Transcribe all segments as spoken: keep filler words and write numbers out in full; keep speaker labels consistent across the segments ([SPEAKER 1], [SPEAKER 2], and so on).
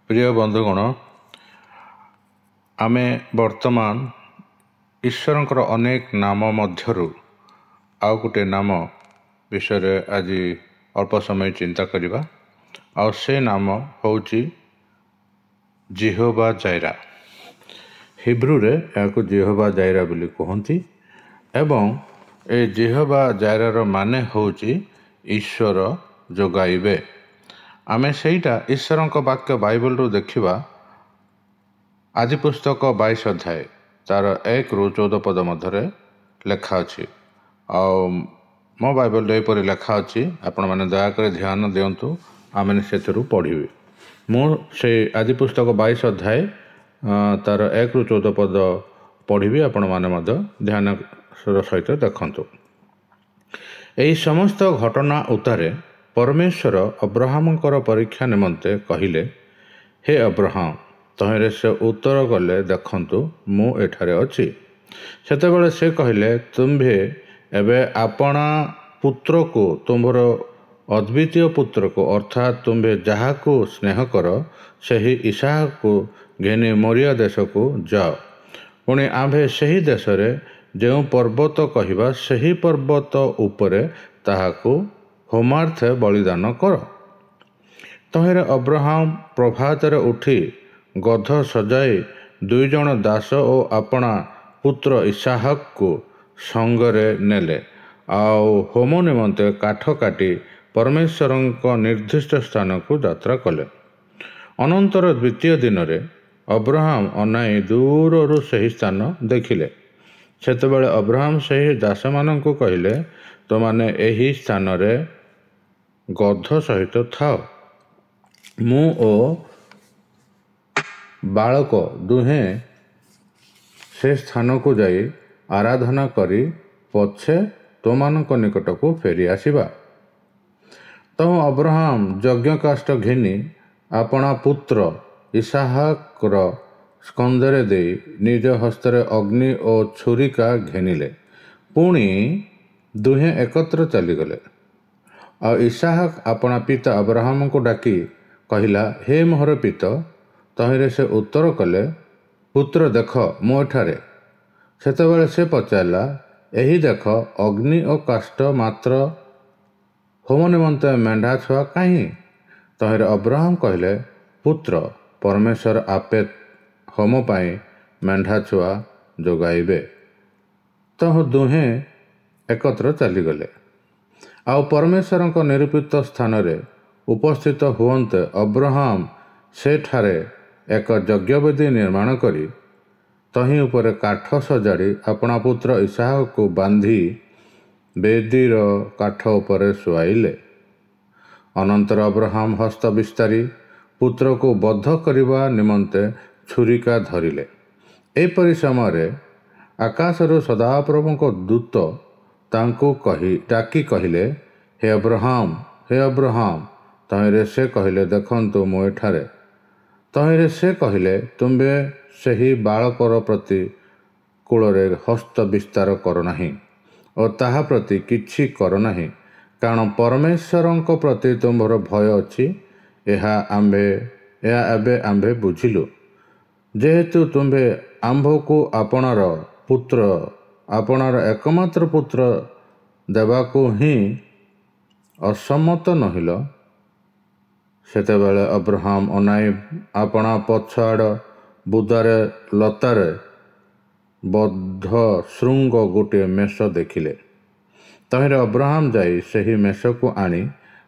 [SPEAKER 1] ପ୍ରିୟ ବନ୍ଧୁଗଣ, ଆମେ ବର୍ତ୍ତମାନ ଈଶ୍ୱରଙ୍କର ଅନେକ ନାମ ମଧ୍ୟରୁ ଆଉ ଗୋଟିଏ ନାମ ବିଷୟରେ ଆଜି ଅଳ୍ପ ସମୟ ଚିନ୍ତା କରିବା, ଆଉ ସେ ନାମ ହେଉଛି ଜିହୋବା ଜାଇରା। ହିବ୍ରୁରେ ଏହାକୁ ଜିହୋବା ଜାଇରା ବୋଲି କୁହନ୍ତି ଏବଂ ଏ ଜିହୋବା ଜାଇରାର ମାନେ ହେଉଛି ଈଶ୍ୱର ଯୋଗାଇବେ। ଆମେ ସେଇଟା ଈଶ୍ୱରଙ୍କ ବାକ୍ୟ ବାଇବଲରୁ ଦେଖିବା। ଆଦି ପୁସ୍ତକ ବାଇଶ ଅଧ୍ୟାୟ ତାର ଏକରୁ ଚଉଦ ପଦ ମଧ୍ୟରେ ଲେଖା ଅଛି, ଆଉ ମୋ ବାଇବଲରେ ଏପରି ଲେଖା ଅଛି। ଆପଣମାନେ ଦୟାକରି ଧ୍ୟାନ ଦିଅନ୍ତୁ, ଆମେ ସେଥିରୁ ପଢ଼ିବି। ମୁଁ ସେଇ ଆଦି ପୁସ୍ତକ ବାଇଶ ଅଧ୍ୟାୟ ତାର ଏକରୁ ଚଉଦ ପଦ ପଢ଼ିବି, ଆପଣମାନେ ମଧ୍ୟ ଧ୍ୟାନ ସହିତ ଦେଖନ୍ତୁ। ଏହି ସମସ୍ତ ଘଟଣା ଉତ୍ତାରେ ପରମେଶ୍ୱର ଅବ୍ରହାମଙ୍କର ପରୀକ୍ଷା ନିମନ୍ତେ କହିଲେ, ହେ ଅବ୍ରହାମ! ତହିଁରେ ସେ ଉତ୍ତର କଲେ, ଦେଖନ୍ତୁ, ମୁଁ ଏଠାରେ ଅଛି। ସେତେବେଳେ ସେ କହିଲେ, ତୁମ୍ଭେ ଏବେ ଆପଣା ପୁତ୍ରକୁ, ତୁମ୍ଭର ଅଦ୍ୱିତୀୟ ପୁତ୍ରକୁ, ଅର୍ଥାତ୍ ତୁମ୍ଭେ ଯାହାକୁ ସ୍ନେହ କର, ସେହି ଇସାହକୁ ଘେନି ମୋରିଆ ଦେଶକୁ ଯାଅ। ପୁଣି ଆମ୍ଭେ ସେହି ଦେଶରେ ଯେଉଁ ପର୍ବତ କହିବା, ସେହି ପର୍ବତ ଉପରେ ତାହାକୁ ହୋମାର୍ଥେ ବଳିଦାନ କର। ତହିଁରେ ଅବ୍ରହାମ ପ୍ରଭାତରେ ଉଠି ଗଧ ସଜାଇ ଦୁଇ ଜଣ ଦାସ ଓ ଆପଣା ପୁତ୍ର ଇସାହକକୁ ସଙ୍ଗରେ ନେଲେ, ଆଉ ହୋମ ନିମନ୍ତେ କାଠ କାଟି ପରମେଶ୍ୱରଙ୍କ ନିର୍ଦ୍ଦିଷ୍ଟ ସ୍ଥାନକୁ ଯାତ୍ରା କଲେ। ଅନନ୍ତର ଦ୍ୱିତୀୟ ଦିନରେ ଅବ୍ରହାମ ଅନାଇ ଦୂରରୁ ସେହି ସ୍ଥାନ ଦେଖିଲେ। ସେତେବେଳେ ଅବ୍ରହାମ ସେହି ଦାସମାନଙ୍କୁ କହିଲେ, ତୁମାନେ ଏହି ସ୍ଥାନରେ ଗଧ ସହିତ ଥାଅ, ମୁଁ ଓ ବାଳକ ଦୁହେଁ ସେ ସ୍ଥାନକୁ ଯାଇ ଆରାଧନା କରି ପଛେ ତୁମାନଙ୍କ ନିକଟକୁ ଫେରି ଆସିବା। ତହୁଁ ଅବ୍ରହାମ ଯଜ୍ଞକାଷ୍ଠ ଘେନି ଆପଣା ପୁତ୍ର ଇସାହକର ସ୍କନ୍ଧରେ ଦେଇ ନିଜ ହସ୍ତରେ ଅଗ୍ନି ଓ ଛୁରିକା ଘେନିଲେ, ପୁଣି ଦୁହେଁ ଏକତ୍ର ଚାଲିଗଲେ। ଆଉ ଇସାହକ ଆପଣା ପିତା ଅବ୍ରହାମଙ୍କୁ ଡାକି କହିଲା, ହେ ମୋହର ପିତ! ତହିଁରେ ସେ ଉତ୍ତର କଲେ, ପୁତ୍ର ଦେଖ, ମୁଁ ଏଠାରେ। ସେତେବେଳେ ସେ ପଚାରିଲା, ଏହି ଦେଖ ଅଗ୍ନି ଓ କାଷ୍ଠ, ମାତ୍ର ହୋମ ନିମନ୍ତେ ମେଣ୍ଢା ଛୁଆ କାହିଁ? ତହିଁରେ ଅବ୍ରହାମ କହିଲେ, ପୁତ୍ର, ପରମେଶ୍ୱର ଆପେ ହୋମ ପାଇଁ ମେଣ୍ଢା ଛୁଆ ଯୋଗାଇବେ। ତହୁଁ ଦୁହେଁ ଏକତ୍ର ଚାଲିଗଲେ। ଆଉ ପରମେଶ୍ୱରଙ୍କ ନିରୂପିତ ସ୍ଥାନରେ ଉପସ୍ଥିତ ହୁଅନ୍ତେ ଅବ୍ରହାମ ସେଠାରେ ଏକ ଯଜ୍ଞବେଦୀ ନିର୍ମାଣ କରି ତହିଁ ଉପରେ କାଠ ସଜାଡ଼ି ଆପଣା ପୁତ୍ର ଇସାହକୁ ବାନ୍ଧି ବେଦୀର କାଠ ଉପରେ ଶୁଆଇଲେ। ଅନନ୍ତର ଅବ୍ରହାମ ହସ୍ତ ବିସ୍ତାରି ପୁତ୍ରକୁ ବଧ କରିବା ନିମନ୍ତେ ଛୁରିକା ଧରିଲେ। ଏପରି ସମୟରେ ଆକାଶରୁ ସଦାପ୍ରଭୁଙ୍କ ଦୂତ ତାଙ୍କୁ କହି ଡାକି କହିଲେ, ହେ ଅବ୍ରହାମ, ହେ ଅବ୍ରହାମ! ତହିଁରେ ସେ କହିଲେ, ଦେଖନ୍ତୁ, ମୁଁ ଏଠାରେ। ତହିଁରେ ସେ କହିଲେ, ତୁମ୍ଭେ ସେହି ବାଳକର ପ୍ରତି କୂଳରେ ହସ୍ତ ବିସ୍ତାର କର ନାହିଁ ଓ ତାହା ପ୍ରତି କିଛି କର ନାହିଁ, କାରଣ ପରମେଶ୍ୱରଙ୍କ ପ୍ରତି ତୁମ୍ଭର ଭୟ ଅଛି, ଏହା ଆମ୍ଭେ ଏହା ଏବେ ଆମ୍ଭେ ବୁଝିଲୁ। ଯେହେତୁ ତୁମ୍ଭେ ଆମ୍ଭକୁ ଆପଣାର ପୁତ୍ର, ଆପଣାର ଏକମାତ୍ର ପୁତ୍ର ଦେବାକୁ ହିଁ ଅସମ୍ମତ ନୋହିଲ। ସେତେବେଳେ ଅବ୍ରହାମ ଅନାଇ ଆପଣା ପଛଆଡ଼ ବୁଦାରେ ଲତାରେ ବଦ୍ଧ ଶୃଙ୍ଗ ଗୋଟିଏ ମେଷ ଦେଖିଲେ। ତହିଁରେ ଅବ୍ରହାମ ଯାଇ ସେହି ମେଷକୁ ଆଣି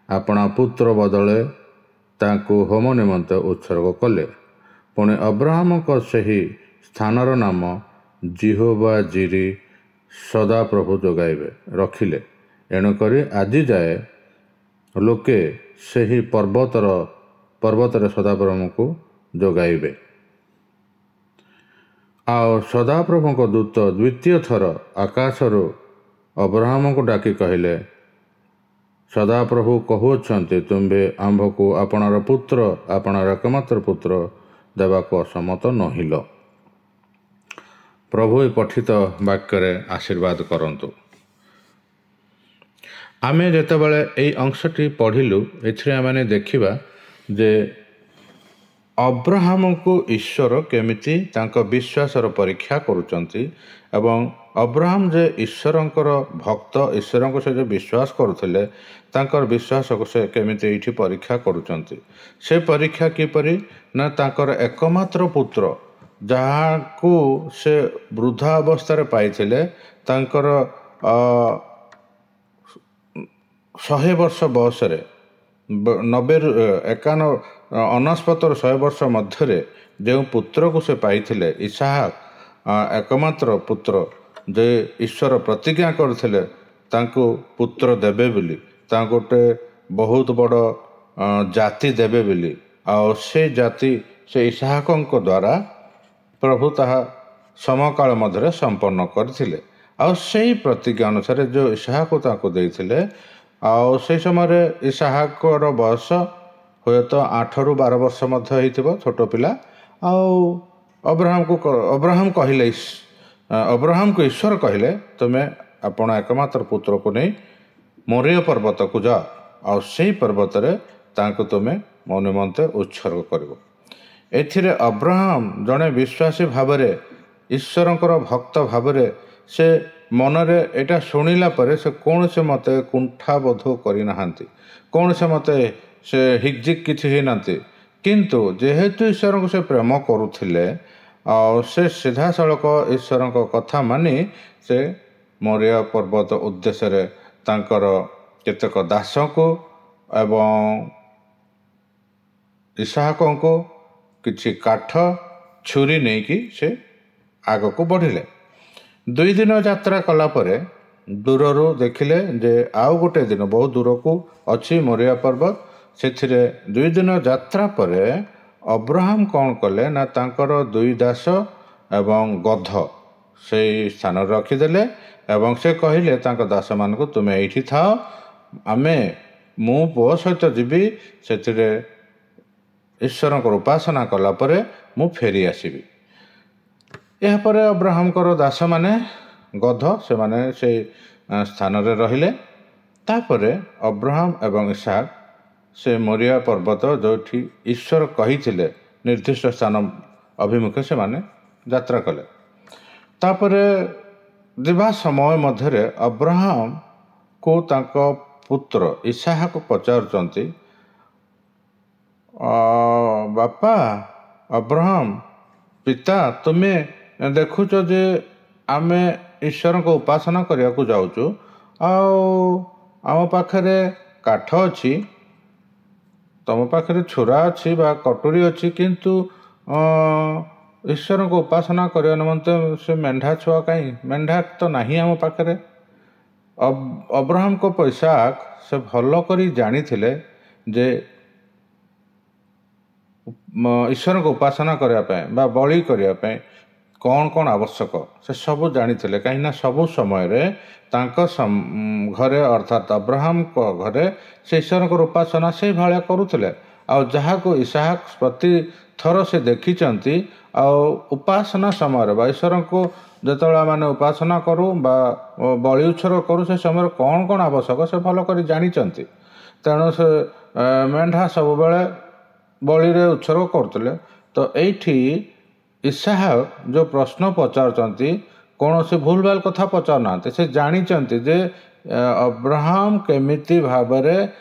[SPEAKER 1] ଆପଣା ପୁତ୍ର ବଦଳେ ତାଙ୍କୁ ହୋମ ନିମନ୍ତେ ଉତ୍ସର୍ଗ କଲେ। ପୁଣି ଅବ୍ରହାମଙ୍କ ସେହି ସ୍ଥାନର ନାମ ଜିହୋବା ଜିରି, ସଦାପ୍ରଭୁ ଯୋଗାଇବେ, ରଖିଲେ। ଏଣୁକରି ଆଜି ଯାଏ ଲୋକେ ସେହି ପର୍ବତର ପର୍ବତରେ ସଦାପ୍ରଭୁଙ୍କୁ ଯୋଗାଇବେ। ଆଉ ସଦାପ୍ରଭୁଙ୍କ ଦୂତ ଦ୍ୱିତୀୟ ଥର ଆକାଶରୁ ଅବ୍ରହାମଙ୍କୁ ଡାକି କହିଲେ, ସଦାପ୍ରଭୁ କହୁଅଛନ୍ତି, ତୁମ୍ଭେ ଆମ୍ଭକୁ ଆପଣାର ପୁତ୍ର, ଆପଣାର ଏକମାତ୍ର ପୁତ୍ର ଦେବାକୁ ଅସମ୍ମତ ନୋହିଲ। ପ୍ରଭୁ ଏ ପଠିତ ବାକ୍ୟରେ ଆଶୀର୍ବାଦ କରନ୍ତୁ। ଆମେ ଯେତେବେଳେ ଏଇ ଅଂଶଟି ପଢ଼ିଲୁ, ଏଥିରେ ଆମେ ଦେଖିବା ଯେ ଅବ୍ରାହମଙ୍କୁ ଈଶ୍ୱର କେମିତି ତାଙ୍କ ବିଶ୍ୱାସର ପରୀକ୍ଷା କରୁଛନ୍ତି ଏବଂ ଅବ୍ରାହମ ଯେ ଈଶ୍ୱରଙ୍କର ଭକ୍ତ, ଈଶ୍ୱରଙ୍କୁ ସେ ଯେଉଁ ବିଶ୍ୱାସ କରୁଥିଲେ, ତାଙ୍କର ବିଶ୍ୱାସକୁ ସେ କେମିତି ଏଇଠି ପରୀକ୍ଷା କରୁଛନ୍ତି। ସେ ପରୀକ୍ଷା କିପରି ନା ତାଙ୍କର ଏକମାତ୍ର ପୁତ୍ର, ଯାହାକୁ ସେ ବୃଦ୍ଧା ଅବସ୍ଥାରେ ପାଇଥିଲେ, ତାଙ୍କର ଶହେ ବର୍ଷ ବୟସରେ, ନବେରୁ ଏକାନ ଅନେଶତରୁ ଶହେ ବର୍ଷ ମଧ୍ୟରେ ଯେଉଁ ପୁତ୍ରକୁ ସେ ପାଇଥିଲେ, ଇସାହାକ, ଏକମାତ୍ର ପୁତ୍ର, ଯେ ଈଶ୍ୱର ପ୍ରତିଜ୍ଞା କରିଥିଲେ ତାଙ୍କୁ ପୁତ୍ର ଦେବେ ବୋଲି, ତାଙ୍କୁ ଗୋଟେ ବହୁତ ବଡ଼ ଜାତି ଦେବେ ବୋଲି, ଆଉ ସେ ଜାତି ସେ ଇସାହାକଙ୍କ ଦ୍ୱାରା ପ୍ରଭୁ ତାହା ସମକାଳ ମଧ୍ୟରେ ସମ୍ପନ୍ନ କରିଥିଲେ। ଆଉ ସେଇ ପ୍ରତିଜ୍ଞା ଅନୁସାରେ ଯେଉଁ ଇସାହାକୁ ତାଙ୍କୁ ଦେଇଥିଲେ, ଆଉ ସେଇ ସମୟରେ ଇସାହାକର ବୟସ ହୁଏତ ଆଠରୁ ବାର ବର୍ଷ ମଧ୍ୟ ହେଇଥିବ, ଛୋଟ ପିଲା। ଆଉ ଅବ୍ରାହମକୁ ଅବ୍ରାହମ କହିଲେ, ଅବ୍ରାହମକୁ ଈଶ୍ୱର କହିଲେ, ତୁମେ ଆପଣ ଏକମାତ୍ର ପୁତ୍ରକୁ ନେଇ ମୋରିୟ ପର୍ବତକୁ ଯାଅ, ଆଉ ସେଇ ପର୍ବତରେ ତାଙ୍କୁ ତୁମେ ମୋ ନିମନ୍ତେ ଉତ୍ସର୍ଗ କରିବ। ଏଥିରେ ଅବ୍ରାହମ ଜଣେ ବିଶ୍ୱାସୀ ଭାବରେ, ଈଶ୍ୱରଙ୍କର ଭକ୍ତ ଭାବରେ, ସେ ମନରେ ଏଇଟା ଶୁଣିଲା ପରେ ସେ କୌଣସି ମତେ କୁଣ୍ଠାବୋଧ କରିନାହାନ୍ତି, କୌଣସି ମତେ ସେ ହିକ୍ଜିକ୍ କିଛି ହେଇନାହାନ୍ତି। କିନ୍ତୁ ଯେହେତୁ ଈଶ୍ୱରଙ୍କୁ ସେ ପ୍ରେମ କରୁଥିଲେ, ଆଉ ସେ ସିଧାସଳଖ ଈଶ୍ୱରଙ୍କ କଥା ମାନି ସେ ମୋରିଆ ପର୍ବତ ଉଦ୍ଦେଶ୍ୟରେ ତାଙ୍କର କେତେକ ଦାସଙ୍କୁ ଏବଂ ଇସାହାକଙ୍କୁ କିଛି କାଠ ଛୁରୀ ନେଇକି ସେ ଆଗକୁ ବଢ଼ିଲେ। ଦୁଇ ଦିନ ଯାତ୍ରା କଲା ପରେ ଦୂରରୁ ଦେଖିଲେ ଯେ ଆଉ ଗୋଟେ ଦିନ ବହୁତ ଦୂରକୁ ଅଛି ମୋରିଆ ପର୍ବତ। ସେଥିରେ ଦୁଇ ଦିନ ଯାତ୍ରା ପରେ ଅବ୍ରାହମ କ'ଣ କଲେ ନା ତାଙ୍କର ଦୁଇ ଦାସ ଏବଂ ଗଧ ସେଇ ସ୍ଥାନରେ ରଖିଦେଲେ ଏବଂ ସେ କହିଲେ ତାଙ୍କ ଦାସମାନଙ୍କୁ, ତୁମେ ଏଇଠି ଥାଅ, ଆମେ ମୁଁ ପୁଅ ସହିତ ଯିବି, ସେଥିରେ ଈଶ୍ୱରଙ୍କର ଉପାସନା କଲା ପରେ ମୁଁ ଫେରି ଆସିବି। ଏହାପରେ ଅବ୍ରାହମଙ୍କର ଦାସମାନେ ଗଧ ସେମାନେ ସେଇ ସ୍ଥାନରେ ରହିଲେ। ତାପରେ ଅବ୍ରାହମ ଏବଂ ଇସାକ ସେ ମୋରିଆ ପର୍ବତ ଯେଉଁଠି ଈଶ୍ୱର କହିଥିଲେ ନିର୍ଦ୍ଦିଷ୍ଟ ସ୍ଥାନ ଅଭିମୁଖେ ସେମାନେ ଯାତ୍ରା କଲେ। ତାପରେ ଯିବା ସମୟ ମଧ୍ୟରେ ଅବ୍ରାହମକୁ ତାଙ୍କ ପୁତ୍ର ଇସାହାକ ପଚାରୁଛନ୍ତି, ବାପା ଅବ୍ରାହମ ପିତା, ତୁମେ ଦେଖୁଛ ଯେ ଆମେ ଈଶ୍ୱରଙ୍କ ଉପାସନା କରିବାକୁ ଯାଉଛୁ, ଆଉ ଆମ ପାଖରେ କାଠ ଅଛି, ତୁମ ପାଖରେ ଛୁରା ଅଛି ବା କଟୁରୀ ଅଛି, କିନ୍ତୁ ଈଶ୍ୱରଙ୍କ ଉପାସନା କରିବା ନିମନ୍ତେ ସେ ମେଣ୍ଢା ଛୁଆ କାହିଁ? ମେଣ୍ଢା ତ ନାହିଁ ଆମ ପାଖରେ। ଅବ୍ରାହମଙ୍କ ପଇସା ସେ ଭଲ କରି ଜାଣିଥିଲେ ଯେ ଈଶ୍ୱରଙ୍କ ଉପାସନା କରିବା ପାଇଁ ବା ବଳି କରିବା ପାଇଁ କ'ଣ କ'ଣ ଆବଶ୍ୟକ, ସେ ସବୁ ଜାଣିଥିଲେ। କାହିଁକିନା ସବୁ ସମୟରେ ତାଙ୍କ ଘରେ, ଅର୍ଥାତ୍ ଅବ୍ରାହମଙ୍କ ଘରେ, ସେ ଈଶ୍ୱରଙ୍କର ଉପାସନା ସେଇଭଳିଆ କରୁଥିଲେ। ଆଉ ଯାହାକୁ ଇସାହାକ ପ୍ରତିଥର ସେ ଦେଖିଛନ୍ତି, ଆଉ ଉପାସନା ସମୟରେ ବା ଈଶ୍ୱରଙ୍କୁ ଯେତେବେଳେ ଆମେ ଉପାସନା କରୁ ବା ବଳି ଉତ୍ସର୍ଗ କରୁ, ସେ ସମୟରେ କ'ଣ କ'ଣ ଆବଶ୍ୟକ ସେ ଭଲ କରି ଜାଣିଛନ୍ତି। ତେଣୁ ସେ ମେଣ୍ଢା ସବୁବେଳେ ବଳିରେ ଉତ୍ସର୍ଗ କରୁଥିଲେ। ତ ଏଇଠି ଇସାହାକ ଯେଉଁ ପ୍ରଶ୍ନ ପଚାରୁଛନ୍ତି, କୌଣସି ଭୁଲ ଭାଲ କଥା ପଚାରୁନାହାନ୍ତି। ସେ ଜାଣିଛନ୍ତି ଯେ ଅବ୍ରାହମ କେମିତି ଭାବରେ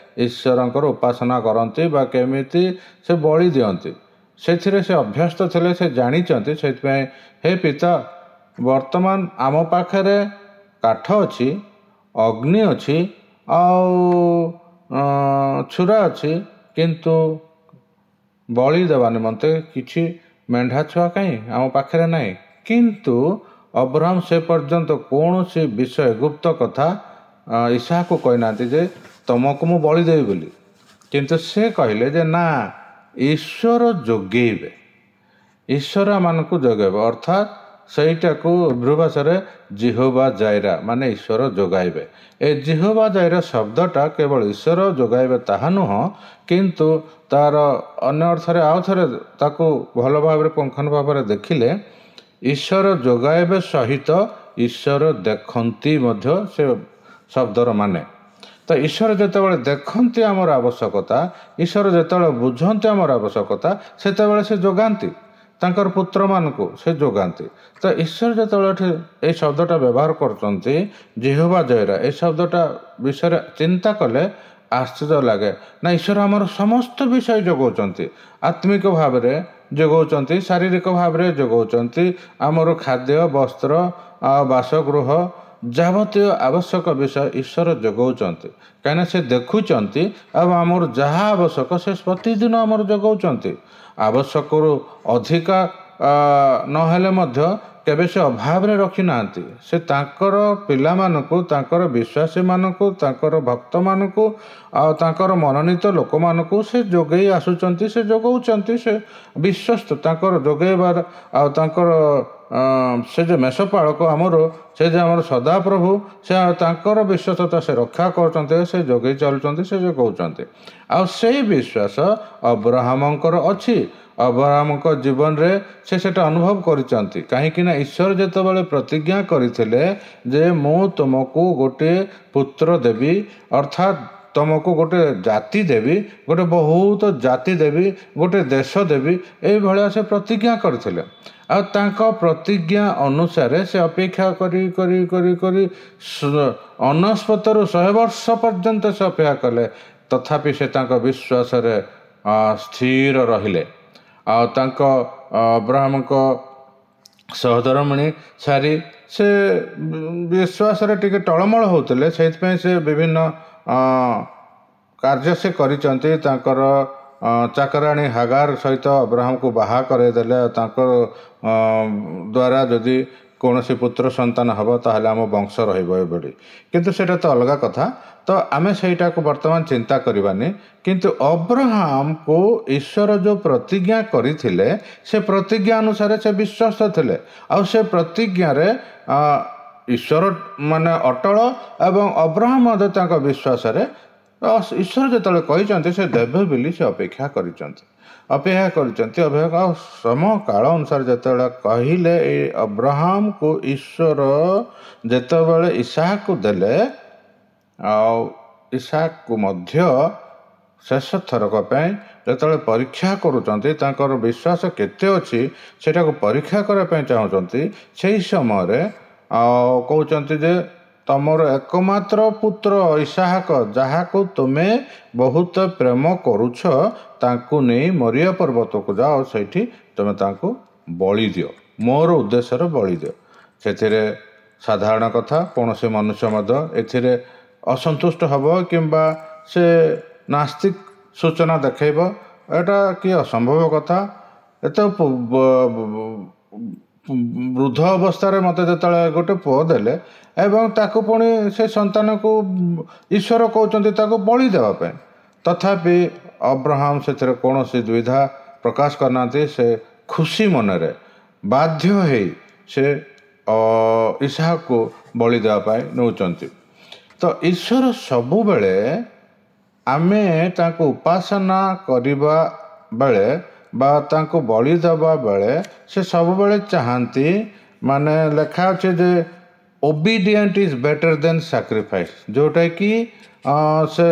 [SPEAKER 1] ଈଶ୍ୱରଙ୍କର ଉପାସନା କରନ୍ତି ବା କେମିତି ସେ ବଳି ଦିଅନ୍ତି, ସେଥିରେ ସେ ଅଭ୍ୟସ୍ତ ଥିଲେ, ସେ ଜାଣିଛନ୍ତି। ସେଥିପାଇଁ, ହେ ପିତା, ବର୍ତ୍ତମାନ ଆମ ପାଖରେ କାଠ ଅଛି, ଅଗ୍ନି ଅଛି, ଆଉ ଛୁରା ଅଛି, କିନ୍ତୁ ବଳି ଦେବା ନିମନ୍ତେ କିଛି ମେଣ୍ଢା ଛୁଆ କାହିଁ ଆମ ପାଖରେ ନାହିଁ। କିନ୍ତୁ ଅବ୍ରାହମ ସେ ପର୍ଯ୍ୟନ୍ତ କୌଣସି ବିଷୟ ଗୁପ୍ତ କଥା ଇସାହାକୁ କହିନାହାନ୍ତି ଯେ ତମକୁ ମୁଁ ବଳି ଦେବି ବୋଲି। କିନ୍ତୁ ସେ କହିଲେ ଯେ ନା, ଈଶ୍ୱର ଯୋଗେଇବେ, ଈଶ୍ୱର ଆମମାନଙ୍କୁ ଯୋଗାଇବେ। ଅର୍ଥାତ୍ ସେଇଟାକୁ ହିବ୍ରୁ ଭାଷାରେ ଜିହୋବା ଜାଇରା, ମାନେ ଈଶ୍ୱର ଯୋଗାଇବେ। ଏ ଜିହୋବା ଜାଇରା ଶବ୍ଦଟା କେବଳ ଈଶ୍ୱର ଯୋଗାଇବେ ତାହା ନୁହଁ, କିନ୍ତୁ ତାର ଅନ୍ୟ ଅର୍ଥରେ ଆଉ ଥରେ ତାକୁ ଭଲ ଭାବରେ ପୁଙ୍ଖାନୁ ଭାବରେ ଦେଖିଲେ ଈଶ୍ୱର ଯୋଗାଇବେ ସହିତ ଈଶ୍ୱର ଦେଖନ୍ତି ମଧ୍ୟ ସେ ଶବ୍ଦର ମାନେ। ତ ଈଶ୍ୱର ଯେତେବେଳେ ଦେଖନ୍ତି ଆମର ଆବଶ୍ୟକତା, ଈଶ୍ୱର ଯେତେବେଳେ ବୁଝନ୍ତି ଆମର ଆବଶ୍ୟକତା, ସେତେବେଳେ ସେ ଯୋଗାନ୍ତି, ତାଙ୍କର ପୁତ୍ରମାନଙ୍କୁ ସେ ଯୋଗାନ୍ତି। ତ ଈଶ୍ୱର ଯେତେବେଳେ ଏଠି ଏଇ ଶବ୍ଦଟା ବ୍ୟବହାର କରୁଛନ୍ତି ଜିହୋବା ଜୟରା, ଏଇ ଶବ୍ଦଟା ବିଷୟରେ ଚିନ୍ତା କଲେ ଆଶ୍ଚର୍ଯ୍ୟ ଲାଗେ ନା, ଈଶ୍ୱର ଆମର ସମସ୍ତ ବିଷୟ ଯୋଗାଉଛନ୍ତି। ଆତ୍ମିକ ଭାବରେ ଯୋଗାଉଛନ୍ତି, ଶାରୀରିକ ଭାବରେ ଯୋଗାଉଛନ୍ତି, ଆମର ଖାଦ୍ୟ, ବସ୍ତ୍ର ଆଉ ବାସଗୃହ ଯାବତୀୟ ଆବଶ୍ୟକ ବିଷୟ ଈଶ୍ୱର ଯୋଗାଉଛନ୍ତି। କାହିଁକିନା ସେ ଦେଖୁଛନ୍ତି ଆଉ ଆମର ଯାହା ଆବଶ୍ୟକ ସେ ପ୍ରତିଦିନ ଆମର ଯୋଗାଉଛନ୍ତି। ଆବଶ୍ୟକରୁ ଅଧିକା ନହେଲେ ମଧ୍ୟ କେବେ ସେ ଅଭାବରେ ରଖିନାହାନ୍ତି। ସେ ତାଙ୍କର ପିଲାମାନଙ୍କୁ, ତାଙ୍କର ବିଶ୍ୱାସୀମାନଙ୍କୁ, ତାଙ୍କର ଭକ୍ତମାନଙ୍କୁ ଆଉ ତାଙ୍କର ମନୋନୀତ ଲୋକମାନଙ୍କୁ ସେ ଯୋଗେଇ ଆସୁଛନ୍ତି, ସେ ଯୋଗାଉଛନ୍ତି। ସେ ବିଶ୍ୱସ୍ତ ତାଙ୍କର ଯୋଗେଇବାର ଆଉ ତାଙ୍କର ସେ ଯେ ମେଷପାଳକ ଆମର, ସେ ଯେ ଆମର ସଦାପ୍ରଭୁ, ସେ ତାଙ୍କର ବିଶ୍ୱସ୍ତତା ସେ ରକ୍ଷା କରୁଛନ୍ତି, ସେ ଯୋଗେଇ ଚାଲୁଛନ୍ତି, ସେ ଯୋଗାଉଛନ୍ତି। ଆଉ ସେଇ ବିଶ୍ୱାସ ଅବ୍ରାହମଙ୍କର ଅଛି। ଅବ୍ରାହମଙ୍କ ଜୀବନରେ ସେ ସେଟା ଅନୁଭବ କରିଛନ୍ତି। କାହିଁକି ନା ଈଶ୍ୱର ଯେତେବେଳେ ପ୍ରତିଜ୍ଞା କରିଥିଲେ ଯେ ମୁଁ ତୁମକୁ ଗୋଟିଏ ପୁତ୍ର ଦେବି, ଅର୍ଥାତ୍ ତୁମକୁ ଗୋଟେ ଜାତି ଦେବି, ଗୋଟେ ବହୁତ ଜାତି ଦେବି, ଗୋଟେ ଦେଶ ଦେବି, ଏଇଭଳିଆ ସେ ପ୍ରତିଜ୍ଞା କରିଥିଲେ। ଆଉ ତାଙ୍କ ପ୍ରତିଜ୍ଞା ଅନୁସାରେ ସେ ଅପେକ୍ଷା କରି କରି କରି କରି ଅନସ୍ପତରୁ ଶହେ ବର୍ଷ ପର୍ଯ୍ୟନ୍ତ ସେ ଅପେକ୍ଷା କଲେ, ତଥାପି ସେ ତାଙ୍କ ବିଶ୍ୱାସରେ ସ୍ଥିର ରହିଲେ। ଆଉ ତାଙ୍କ ଅବ୍ରାହମଙ୍କ ସହଧର୍ମିଣୀ ସାରି ସେ ବିଶ୍ୱାସରେ ଟିକେ ଟଳମଳ ହେଉଥିଲେ, ସେଇଥିପାଇଁ ସେ ବିଭିନ୍ନ କାର୍ଯ୍ୟ ସେ କରିଛନ୍ତି। ତାଙ୍କର ଚାକରାଣୀ ହାଗାର ସହିତ ଅବ୍ରାହମକୁ ବାହା କରାଇଦେଲେ। ତାଙ୍କ ଦ୍ୱାରା ଯଦି କୌଣସି ପୁତ୍ର ସନ୍ତାନ ହେବ ତାହେଲେ ଆମ ବଂଶ ରହିବ ଏଭଳି, କିନ୍ତୁ ସେଇଟା ତ ଅଲଗା କଥା, ତ ଆମେ ସେଇଟାକୁ ବର୍ତ୍ତମାନ ଚିନ୍ତା କରିବାନି। କିନ୍ତୁ ଅବ୍ରାହମକୁ ଈଶ୍ୱର ଯେଉଁ ପ୍ରତିଜ୍ଞା କରିଥିଲେ ସେ ପ୍ରତିଜ୍ଞା ଅନୁସାରେ ସେ ବିଶ୍ୱସ୍ତ ଥିଲେ। ଆଉ ସେ ପ୍ରତିଜ୍ଞାରେ ଈଶ୍ୱର ମାନେ ଅଟଳ ଏବଂ ଅବ୍ରାହମ ମଧ୍ୟ ତାଙ୍କ ବିଶ୍ୱାସରେ ଈଶ୍ୱର ଯେତେବେଳେ କହିଛନ୍ତି ସେ ଦେବେ ବୋଲି ସେ ଅପେକ୍ଷା କରିଛନ୍ତି, ଅପେକ୍ଷା କରିଛନ୍ତି ଅପେକ୍ଷା। ଆଉ ସମକାଳ ଅନୁସାରେ ଯେତେବେଳେ କହିଲେ ଏଇ ଅବ୍ରାହମକୁ ଈଶ୍ୱର ଯେତେବେଳେ ଇସାହକୁ ଦେଲେ, ଆଉ ଇସାହକୁ ମଧ୍ୟ ଶେଷ ଥରକ ପାଇଁ ଯେତେବେଳେ ପରୀକ୍ଷା କରୁଛନ୍ତି, ତାଙ୍କର ବିଶ୍ୱାସ କେତେ ଅଛି ସେଇଟାକୁ ପରୀକ୍ଷା କରିବା ପାଇଁ ଚାହୁଁଛନ୍ତି, ସେଇ ସମୟରେ ଆଉ କହୁଛନ୍ତି ଯେ ତମର ଏକମାତ୍ର ପୁତ୍ର ଇସାହକ, ଯାହାକୁ ତୁମେ ବହୁତ ପ୍ରେମ କରୁଛ, ତାଙ୍କୁ ନେଇ ମରିୟ ପର୍ବତକୁ ଯାଅ, ସେଇଠି ତୁମେ ତାଙ୍କୁ ବଳି ଦିଅ, ମୋର ଉଦ୍ଦେଶ୍ୟରେ ବଳି ଦିଅ। ସେଥିରେ ସାଧାରଣ କଥା, କୌଣସି ମନୁଷ୍ୟ ମଧ୍ୟ ଏଥିରେ ଅସନ୍ତୁଷ୍ଟ ହେବ କିମ୍ବା ସେ ନାସ୍ତିକ ସୂଚନା ଦେଖାଇବ, ଏଇଟା କି ଅସମ୍ଭବ କଥା। ଏତେ ବୃଦ୍ଧ ଅବସ୍ଥାରେ ମୋତେ ଯେତେବେଳେ ଗୋଟେ ପୁଅ ଦେଲେ ଏବଂ ତାକୁ ପୁଣି ସେ ସନ୍ତାନକୁ ଈଶ୍ୱର କହୁଛନ୍ତି ତାକୁ ବଳି ଦେବା ପାଇଁ, ତଥାପି ଅବ୍ରାହମ ସେଥିରେ କୌଣସି ଦ୍ୱିଧା ପ୍ରକାଶ କରିନାହାନ୍ତି। ସେ ଖୁସି ମନରେ ବାଧ୍ୟ ହେଇ ସେ ଇସାହକୁ ବଳି ଦେବା ପାଇଁ ନେଉଛନ୍ତି। ତ ଈଶ୍ୱର ସବୁବେଳେ ଆମେ ତାଙ୍କୁ ଉପାସନା କରିବା ବେଳେ ବା ତାଙ୍କୁ ବଳି ଦେବା ବେଳେ ସେ ସବୁବେଳେ ଚାହାନ୍ତି, ମାନେ ଲେଖା ଅଛି ଯେ obedient is better than sacrifice, ଯେଉଁଟାକି ସେ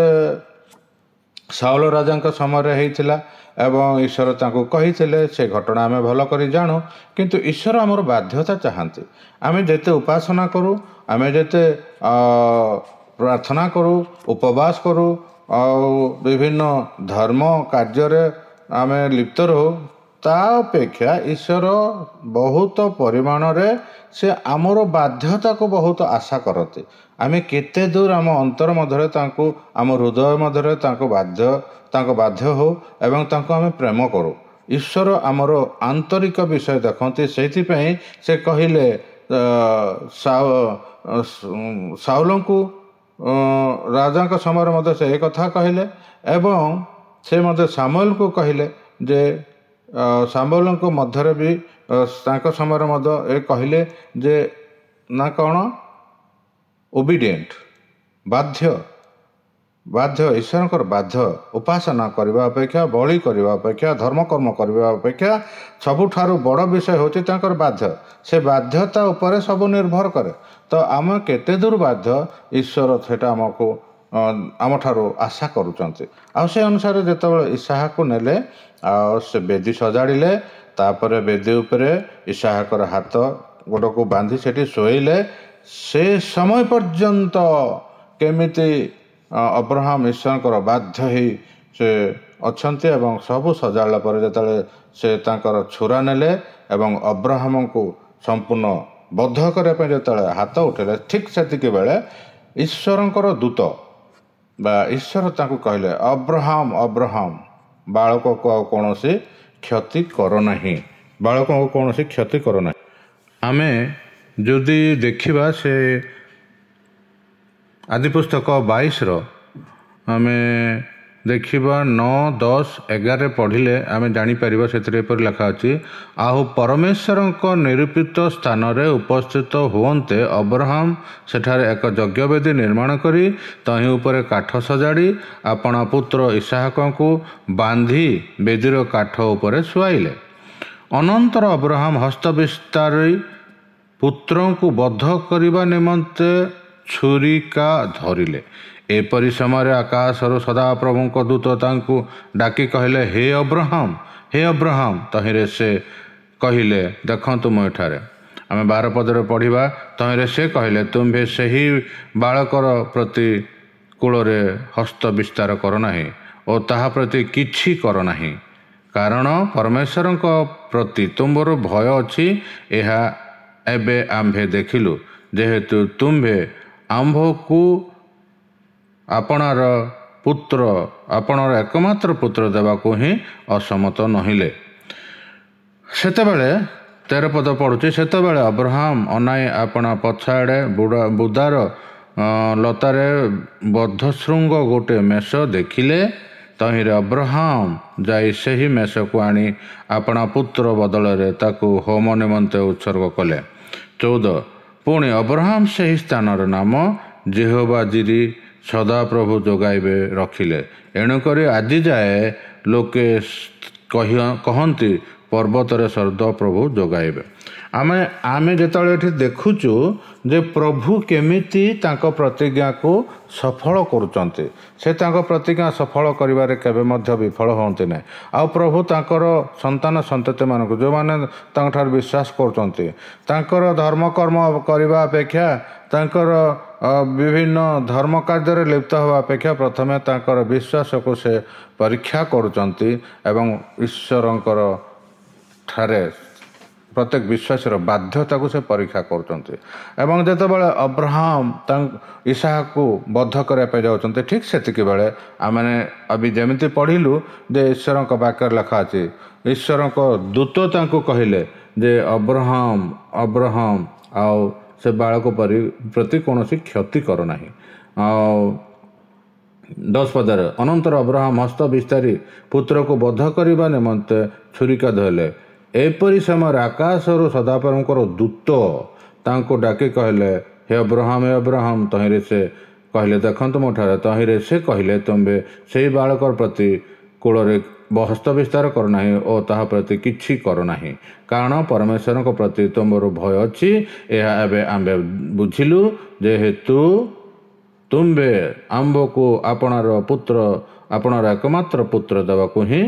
[SPEAKER 1] ସାଉଲ ରାଜାଙ୍କ ସମୟରେ ହେଇଥିଲା ଏବଂ ଈଶ୍ୱର ତାଙ୍କୁ କହିଥିଲେ। ସେ ଘଟଣା ଆମେ ଭଲ କରି ଜାଣୁ, କିନ୍ତୁ ଈଶ୍ୱର ଆମର ବାଧ୍ୟତା ଚାହାନ୍ତି। ଆମେ ଯେତେ ଉପାସନା କରୁ, ଆମେ ଯେତେ ପ୍ରାର୍ଥନା କରୁ, ଉପବାସ କରୁ ଆଉ ବିଭିନ୍ନ ଧର୍ମ କାର୍ଯ୍ୟରେ ଆମେ ଲିପ୍ତ ରହୁ, ତା ଅପେକ୍ଷା ଈଶ୍ୱର ବହୁତ ପରିମାଣରେ ସେ ଆମର ବାଧ୍ୟତାକୁ ବହୁତ ଆଶା କରନ୍ତି। ଆମେ କେତେ ଦୂର ଆମ ଅନ୍ତର ମଧ୍ୟରେ ତାଙ୍କୁ, ଆମ ହୃଦୟ ମଧ୍ୟରେ ତାଙ୍କୁ ବାଧ୍ୟ ତାଙ୍କ ବାଧ୍ୟ ହଉ ଏବଂ ତାଙ୍କୁ ଆମେ ପ୍ରେମ କରୁ। ଈଶ୍ୱର ଆମର ଆନ୍ତରିକ ବିଷୟ ଦେଖନ୍ତି। ସେଇଥିପାଇଁ ସେ କହିଲେ ସାଉଲଙ୍କୁ ରାଜାଙ୍କ ସମୟରେ ମଧ୍ୟ ସେ ଏ କଥା କହିଲେ ଏବଂ ସେ ମଧ୍ୟ ସାମୁଏଲଙ୍କୁ କହିଲେ ଯେ ସାମୁଏଲଙ୍କ ମଧ୍ୟରେ ବି ତାଙ୍କ ସମୟରେ ମଧ୍ୟ ଏ କହିଲେ ଯେ ନା କ'ଣ ଓବିଡିଏଣ୍ଟ, ବାଧ୍ୟ, ବାଧ୍ୟ, ଈଶ୍ୱରଙ୍କର ବାଧ୍ୟ ଉପାସନା କରିବା ଅପେକ୍ଷା, ବଳି କରିବା ଅପେକ୍ଷା, ଧର୍ମକର୍ମ କରିବା ଅପେକ୍ଷା ସବୁଠାରୁ ବଡ଼ ବିଷୟ ହେଉଛି ତାଙ୍କର ବାଧ୍ୟ। ସେ ବାଧ୍ୟତା ଉପରେ ସବୁ ନିର୍ଭର କରେ। ତ ଆମେ କେତେ ଦୂର ବାଧ୍ୟ, ଈଶ୍ୱର ସେଇଟା ଆମକୁ ଆମଠାରୁ ଆଶା କରୁଛନ୍ତି। ଆଉ ସେ ଅନୁସାରେ ଯେତେବେଳେ ଇସାହାକୁ ନେଲେ ଆଉ ସେ ବେଦୀ ସଜାଡ଼ିଲେ, ତାପରେ ବେଦୀ ଉପରେ ଇସାହାକର ହାତ ଗୋଡ଼କୁ ବାନ୍ଧି ସେଠି ଶୋଇଲେ। ସେ ସମୟ ପର୍ଯ୍ୟନ୍ତ କେମିତି ଅବ୍ରହାମ ଈଶ୍ୱରଙ୍କର ବାଧ୍ୟ ହେଇ ସେ ଅଛନ୍ତି ଏବଂ ସବୁ ସଜାଡ଼ିଲା ପରେ ଯେତେବେଳେ ସେ ତାଙ୍କର ଛୁରା ନେଲେ ଏବଂ ଅବ୍ରହାମଙ୍କୁ ସମ୍ପୂର୍ଣ୍ଣ ବଦ୍ଧ କରିବା ପାଇଁ ଯେତେବେଳେ ହାତ ଉଠେଇଲେ, ଠିକ୍ ସେତିକି ବେଳେ ଈଶ୍ୱରଙ୍କର ଦୂତ ବା ଈଶ୍ୱର ତାଙ୍କୁ କହିଲେ, ଅବ୍ରହାମ, ଅବ୍ରହାମ, ବାଳକକୁ ଆଉ କୌଣସି କ୍ଷତି କର ନାହିଁ, ବାଳକଙ୍କୁ କୌଣସି କ୍ଷତି କର ନାହିଁ। ଆମେ ଯଦି ଦେଖିବା ସେ ଆଦିପୁସ୍ତକ ବାଇଶର ଆମେ ଦେଖିବା ନଅ, ଦଶ, ଏଗାରରେ ପଢ଼ିଲେ ଆମେ ଜାଣିପାରିବା। ସେଥିରେ ଏପରି ଲେଖା ଅଛି, ଆଉ ପରମେଶ୍ୱରଙ୍କ ନିରୂପିତ ସ୍ଥାନରେ ଉପସ୍ଥିତ ହୁଅନ୍ତେ ଅବ୍ରହାମ ସେଠାରେ ଏକ ଯଜ୍ଞବେଦୀ ନିର୍ମାଣ କରି ତହିଁ ଉପରେ କାଠ ସଜାଡ଼ି ଆପଣା ପୁତ୍ର ଇସାହାକଙ୍କୁ ବାନ୍ଧି ବେଦୀର କାଠ ଉପରେ ଶୁଆଇଲେ। ଅନନ୍ତର ଅବ୍ରହାମ ହସ୍ତ ବିସ୍ତାରି ପୁତ୍ରଙ୍କୁ ବଦ୍ଧ କରିବା ନିମନ୍ତେ ଛୁରିକା ଧରିଲେ। ଏପରି ସମୟରେ ଆକାଶରୁ ସଦାପ୍ରଭୁଙ୍କ ଦୂତ ତାଙ୍କୁ ଡାକି କହିଲେ, ହେ ଅବ୍ରହାମ, ହେ ଅବ୍ରହାମ। ତହିଁରେ ସେ କହିଲେ, ଦେଖନ୍ତୁ ମୁଁ ଏଠାରେ। ଆମେ ବାର ପଦରେ ପଢ଼ିବା, ତହିଁରେ ସେ କହିଲେ, ତୁମ୍ଭେ ସେହି ବାଳକର ପ୍ରତି କୂଳରେ ହସ୍ତ ବିସ୍ତାର କର ନାହିଁ ଓ ତାହା ପ୍ରତି କିଛି କର ନାହିଁ, କାରଣ ପରମେଶ୍ୱରଙ୍କ ପ୍ରତି ତୁମ୍ଭର ଭୟ ଅଛି, ଏହା ଏବେ ଆମ୍ଭେ ଦେଖିଲୁ, ଯେହେତୁ ତୁମ୍ଭେ ଆମ୍ଭକୁ ଆପଣାର ପୁତ୍ର, ଆପଣାର ଏକମାତ୍ର ପୁତ୍ର ଦେବାକୁ ହିଁ ଅସମତ ନୋହିଲେ। ସେତେବେଳେ ତେର ପଦ ପଢ଼ୁଛି, ସେତେବେଳେ ଅବ୍ରହାମ ଅନାଇ ଆପଣା ପଛଆଡ଼େ ବୁଡ଼ା ବୁଦାର ଲତାରେ ବଦ୍ଧଶୃଙ୍ଗ ଗୋଟେ ମେଷ ଦେଖିଲେ। ତହିଁରେ ଅବ୍ରହାମ ଯାଇ ସେହି ମେଷକୁ ଆଣି ଆପଣା ପୁତ୍ର ବଦଳରେ ତାକୁ ହୋମ ନିମନ୍ତେ ଉତ୍ସର୍ଗ କଲେ। ଚଉଦ, ପୁଣି ଅବ୍ରହାମ ସେହି ସ୍ଥାନର ନାମ ଯିହୋବା ଜିରି, ସଦାପ୍ରଭୁ ଯୋଗାଇବେ ରଖିଲେ। ଏଣୁକରି ଆଜି ଯାଏ ଲୋକେ କହି କହନ୍ତି, ପର୍ବତରେ ସଦାପ୍ରଭୁ ଯୋଗାଇବେ। ଆମେ ଆମେ ଯେତେବେଳେ ଏଠି ଦେଖୁଛୁ ଯେ ପ୍ରଭୁ କେମିତି ତାଙ୍କ ପ୍ରତିଜ୍ଞାକୁ ସଫଳ କରୁଛନ୍ତି, ସେ ତାଙ୍କ ପ୍ରତିଜ୍ଞା ସଫଳ କରିବାରେ କେବେ ମଧ୍ୟ ବିଫଳ ହୁଅନ୍ତି ନାହିଁ। ଆଉ ପ୍ରଭୁ ତାଙ୍କର ସନ୍ତାନ ସନ୍ତତିମାନଙ୍କୁ, ଯେଉଁମାନେ ତାଙ୍କଠାରୁ ବିଶ୍ୱାସ କରୁଛନ୍ତି, ତାଙ୍କର ଧର୍ମକର୍ମ କରିବା ଅପେକ୍ଷା, ତାଙ୍କର ବିଭିନ୍ନ ଧର୍ମ କାର୍ଯ୍ୟରେ ଲିପ୍ତ ହେବା ଅପେକ୍ଷା ପ୍ରଥମେ ତାଙ୍କର ବିଶ୍ୱାସକୁ ସେ ପରୀକ୍ଷା କରୁଛନ୍ତି ଏବଂ ଈଶ୍ୱରଙ୍କର ଠାରେ ପ୍ରତ୍ୟେକ ବିଶ୍ୱାସର ବାଧ୍ୟତାକୁ ସେ ପରୀକ୍ଷା କରୁଛନ୍ତି। ଏବଂ ଯେତେବେଳେ ଅବ୍ରହାମ ତାଙ୍କ ଇସାହାକୁ ବଦ୍ଧ କରିବା ପାଇଁ ଯାଉଛନ୍ତି, ଠିକ୍ ସେତିକି ବେଳେ ଆମେ ଅବି ଯେମିତି ପଢ଼ିଲୁ ଯେ ଈଶ୍ୱରଙ୍କ ବାକ୍ୟରେ ଲେଖା ଅଛି, ଈଶ୍ୱରଙ୍କ ଦୂତ ତାଙ୍କୁ କହିଲେ ଯେ ଅବ୍ରହାମ, ଅବ୍ରହାମ, ଆଉ ସେ ବାଳକ ପରି ପ୍ରତି କୌଣସି କ୍ଷତି କର ନାହିଁ। ଆଉ ଦଶ ପଦରେ, ଅନନ୍ତର ଅବ୍ରହାମ ହସ୍ତ ବିସ୍ତାରି ପୁତ୍ରକୁ ବଦ୍ଧ କରିବା ନିମନ୍ତେ ଛୁରିକା ଧରିଲେ। ଏପରି ସମୟରେ ଆକାଶରୁ ସଦାପ୍ରଭୁଙ୍କର ଦୂତ ତାଙ୍କୁ ଡାକି କହିଲେ, ହେ ଅବ୍ରହାମ, ହେ ଅବ୍ରହାମ। ତହିଁରେ ସେ କହିଲେ, ଦେଖନ୍ତୁ ମୋ ଠାରେ। ତହିଁରେ ସେ କହିଲେ, ତୁମ୍ଭେ ସେହି ବାଳକ ପ୍ରତି କୂଳରେ ହସ୍ତ ବିସ୍ତାର କର ନାହିଁ ଓ ତାହା ପ୍ରତି କିଛି କର ନାହିଁ, କାରଣ ପରମେଶ୍ୱରଙ୍କ ପ୍ରତି ତୁମର ଭୟ ଅଛି, ଏହା ଏବେ ଆମ୍ଭେ ବୁଝିଲୁ, ଯେହେତୁ ତୁମ୍ଭେ ଆମ୍ଭକୁ ଆପଣାର ପୁତ୍ର, ଆପଣାର ଏକମାତ୍ର ପୁତ୍ର ଦେବାକୁ ହିଁ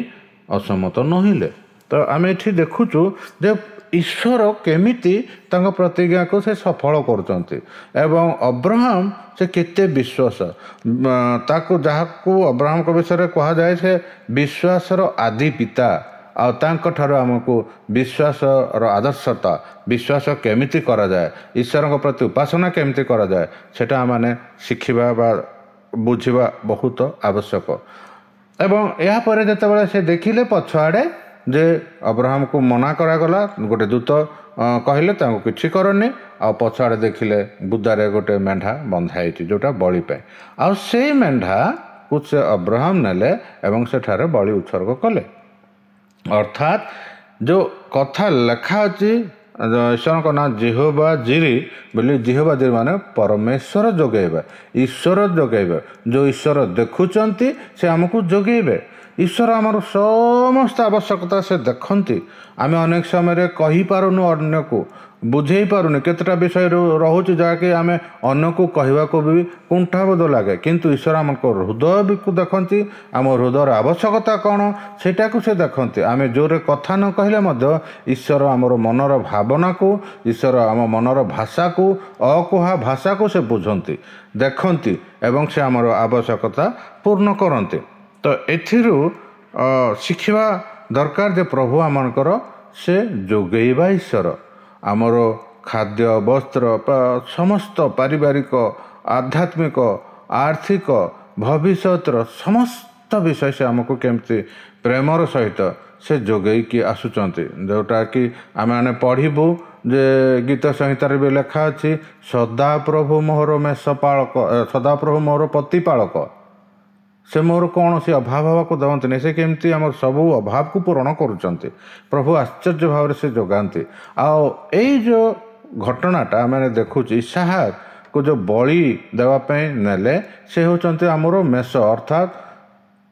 [SPEAKER 1] ଅସମତ ନୋହିଲେ। ତ ଆମେ ଏଠି ଦେଖୁଛୁ ଯେ ଈଶ୍ୱର କେମିତି ତାଙ୍କ ପ୍ରତିଜ୍ଞାକୁ ସେ ସଫଳ କରୁଛନ୍ତି ଏବଂ ଅବ୍ରହାମ ସେ କେତେ ବିଶ୍ୱାସ, ତାକୁ ଯାହାକୁ ଅବ୍ରହାମଙ୍କ ବିଷୟରେ କୁହାଯାଏ ସେ ବିଶ୍ୱାସର ଆଦି ପିତା। ଆଉ ତାଙ୍କଠାରୁ ଆମକୁ ବିଶ୍ୱାସର ଆଦର୍ଶତା, ବିଶ୍ୱାସ କେମିତି କରାଯାଏ, ଈଶ୍ୱରଙ୍କ ପ୍ରତି ଉପାସନା କେମିତି କରାଯାଏ, ସେଟା ଆମମାନେ ଶିଖିବା ବା ବୁଝିବା ବହୁତ ଆବଶ୍ୟକ। ଏବଂ ଏହାପରେ ଯେତେବେଳେ ସେ ଦେଖିଲେ ପଛଆଡ଼େ ଯେ ଅବ୍ରହାମକୁ ମନା କରାଗଲା, ଗୋଟେ ଦୂତ କହିଲେ ତାଙ୍କୁ କିଛି କରନି, ଆଉ ପଛଆଡ଼େ ଦେଖିଲେ ବୁଦାରେ ଗୋଟେ ମେଣ୍ଢା ବନ୍ଧା ହେଇଛି ଯେଉଁଟା ବଳି ପାଇଁ, ଆଉ ସେଇ ମେଣ୍ଢାକୁ ସେ ଅବ୍ରହାମ ନେଲେ ଏବଂ ସେଠାରେ ବଳି ଉତ୍ସର୍ଗ କଲେ। ଅର୍ଥାତ୍ ଯେଉଁ କଥା ଲେଖା ଅଛି ଈଶ୍ୱରଙ୍କ ନାଁ ଯିହୋବା ଜିରି ବୋଲି, ଯିହୋବା ଜିରି ମାନେ ପରମେଶ୍ୱର ଯୋଗାଇବା, ଈଶ୍ୱର ଯୋଗାଇବା। ଯେଉଁ ଈଶ୍ୱର ଦେଖୁଛନ୍ତି ସେ ଆମକୁ ଯୋଗାଇବେ। ଈଶ୍ୱର ଆମର ସମସ୍ତ ଆବଶ୍ୟକତା ସେ ଦେଖନ୍ତି। ଆମେ ଅନେକ ସମୟରେ କହିପାରୁନୁ, ଅନ୍ୟକୁ ବୁଝେଇ ପାରୁନି, କେତେଟା ବିଷୟ ରହୁଛି ଯାହାକି ଆମେ ଅନ୍ୟକୁ କହିବାକୁ ବି କୁଣ୍ଠାବୋଧ ଲାଗେ। କିନ୍ତୁ ଈଶ୍ୱର ଆମଙ୍କ ହୃଦୟକୁ ଦେଖନ୍ତି, ଆମ ହୃଦୟର ଆବଶ୍ୟକତା କ'ଣ ସେଇଟାକୁ ସେ ଦେଖନ୍ତି। ଆମେ ଜୋରରେ କଥା ନ କହିଲେ ମଧ୍ୟ ଈଶ୍ୱର ଆମର ମନର ଭାବନାକୁ, ଈଶ୍ୱର ଆମ ମନର ଭାଷାକୁ, ଅକୁହା ଭାଷାକୁ ସେ ବୁଝନ୍ତି, ଦେଖନ୍ତି ଏବଂ ସେ ଆମର ଆବଶ୍ୟକତା ପୂର୍ଣ୍ଣ କରନ୍ତି। ତ ଏଥିରୁ ଶିଖିବା ଦରକାର ଯେ ପ୍ରଭୁ ଆମମାନଙ୍କର ସେ ଯୋଗେଇବା ଈଶ୍ୱର। ଆମର ଖାଦ୍ୟ, ବସ୍ତ୍ର, ସମସ୍ତ ପାରିବାରିକ, ଆଧ୍ୟାତ୍ମିକ, ଆର୍ଥିକ, ଭବିଷ୍ୟତର ସମସ୍ତ ବିଷୟ ସେ ଆମକୁ କେମିତି ପ୍ରେମର ସହିତ ସେ ଯୋଗେଇକି ଆସୁଛନ୍ତି, ଯେଉଁଟାକି ଆମେମାନେ ପଢ଼ିବୁ ଯେ ଗୀତ ସଂହିତାରେ ବି ଲେଖା ଅଛି, ସଦାପ୍ରଭୁ ମୋହର ମେଷ ପାଳକ, ସଦାପ୍ରଭୁ ମୋହର ପ୍ରତିପାଳକ, ସେ ମୋର କୌଣସି ଅଭାବ ହେବାକୁ ଦେବନ୍ତିନି। ସେ କେମିତି ଆମର ସବୁ ଅଭାବକୁ ପୂରଣ କରୁଛନ୍ତି। ପ୍ରଭୁ ଆଶ୍ଚର୍ଯ୍ୟ ଭାବରେ ସେ ଯୋଗାନ୍ତି। ଆଉ ଏଇ ଯେଉଁ ଘଟଣାଟା ଆମେ ଦେଖୁଛୁ, ଇସାହାକକୁ ଯେଉଁ ବଳି ଦେବା ପାଇଁ ନେଲେ, ସେ ହେଉଛନ୍ତି ଆମର ମେଷ, ଅର୍ଥାତ୍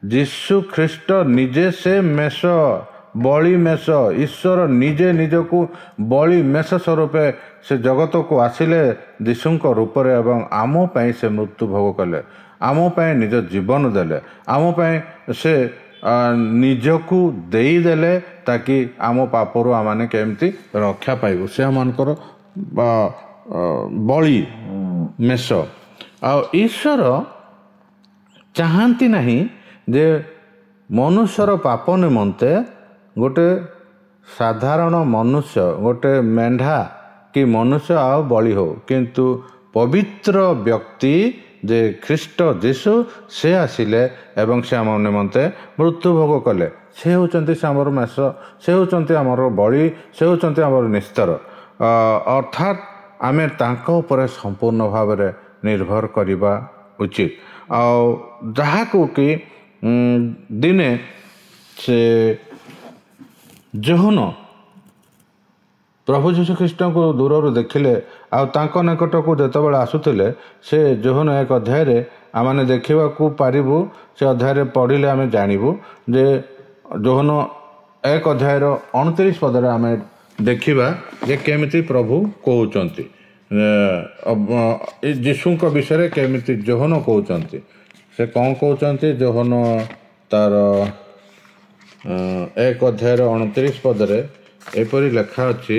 [SPEAKER 1] ଯୀଶୁ ଖ୍ରୀଷ୍ଟ ନିଜେ ସେ ମେଷ, ବଳି ମେଷ। ଈଶ୍ୱର ନିଜେ ନିଜକୁ ବଳି ମେଷ ସ୍ୱରୂପେ ସେ ଜଗତକୁ ଆସିଲେ ଯୀଶୁଙ୍କ ରୂପରେ ଏବଂ ଆମ ପାଇଁ ସେ ମୃତ୍ୟୁ ଭୋଗ କଲେ, ଆମ ପାଇଁ ନିଜ ଜୀବନ ଦେଲେ, ଆମ ପାଇଁ ସେ ନିଜକୁ ଦେଇଦେଲେ, ତାକି ଆମ ପାପରୁ ଆମମାନେ କେମିତି ରକ୍ଷା ପାଇବୁ। ସେ ଆମମାନଙ୍କର ବଳି ମେଷ। ଆଉ ଈଶ୍ୱର ଚାହାନ୍ତି ନାହିଁ ଯେ ମନୁଷ୍ୟର ପାପ ନିମନ୍ତେ ଗୋଟେ ସାଧାରଣ ମନୁଷ୍ୟ, ଗୋଟେ ମେଣ୍ଢା କି ମନୁଷ୍ୟ ଆଉ ବଳି ହଉ, କିନ୍ତୁ ପବିତ୍ର ବ୍ୟକ୍ତି ଯେ ଖ୍ରୀଷ୍ଟ ଯୀଶୁ ସେ ଆସିଲେ ଏବଂ ସେ ଆମ ନିମନ୍ତେ ମୃତ୍ୟୁ ଭୋଗ କଲେ। ସେ ହେଉଛନ୍ତି ସେ ଆମର ମେଷ, ସେ ହେଉଛନ୍ତି ଆମର ବଳି, ସେ ହେଉଛନ୍ତି ଆମର ନିସ୍ତାର। ଅର୍ଥାତ୍ ଆମେ ତାଙ୍କ ଉପରେ ସମ୍ପୂର୍ଣ୍ଣ ଭାବରେ ନିର୍ଭର କରିବା ଉଚିତ। ଆଉ ଯାହାକୁ କି ଦିନେ ସେ ଯୋହନ ପ୍ରଭୁ ଯୀଶୁ ଖ୍ରୀଷ୍ଟଙ୍କୁ ଦୂରରୁ ଦେଖିଲେ ଆଉ ତାଙ୍କ ନିକଟକୁ ଯେତେବେଳେ ଆସୁଥିଲେ, ସେ ଯୋହନ ଏକ ଅଧ୍ୟାୟରେ ଆମମାନେ ଦେଖିବାକୁ ପାରିବୁ, ସେ ଅଧ୍ୟାୟରେ ପଢ଼ିଲେ ଆମେ ଜାଣିବୁ ଯେ ଯୋହନ ଏକ ଅଧ୍ୟାୟର ଅଣତିରିଶ ପଦରେ ଆମେ ଦେଖିବା ଯେ କେମିତି ପ୍ରଭୁ କହୁଛନ୍ତି ଯୀଶୁଙ୍କ ବିଷୟରେ, କେମିତି ଯୋହନ କହୁଛନ୍ତି। ସେ କ'ଣ କହୁଛନ୍ତି? ଯୋହନ ତାର ଏକ ଅଧ୍ୟାୟର ଅଣତିରିଶ ପଦରେ ଏପରି ଲେଖା ଅଛି।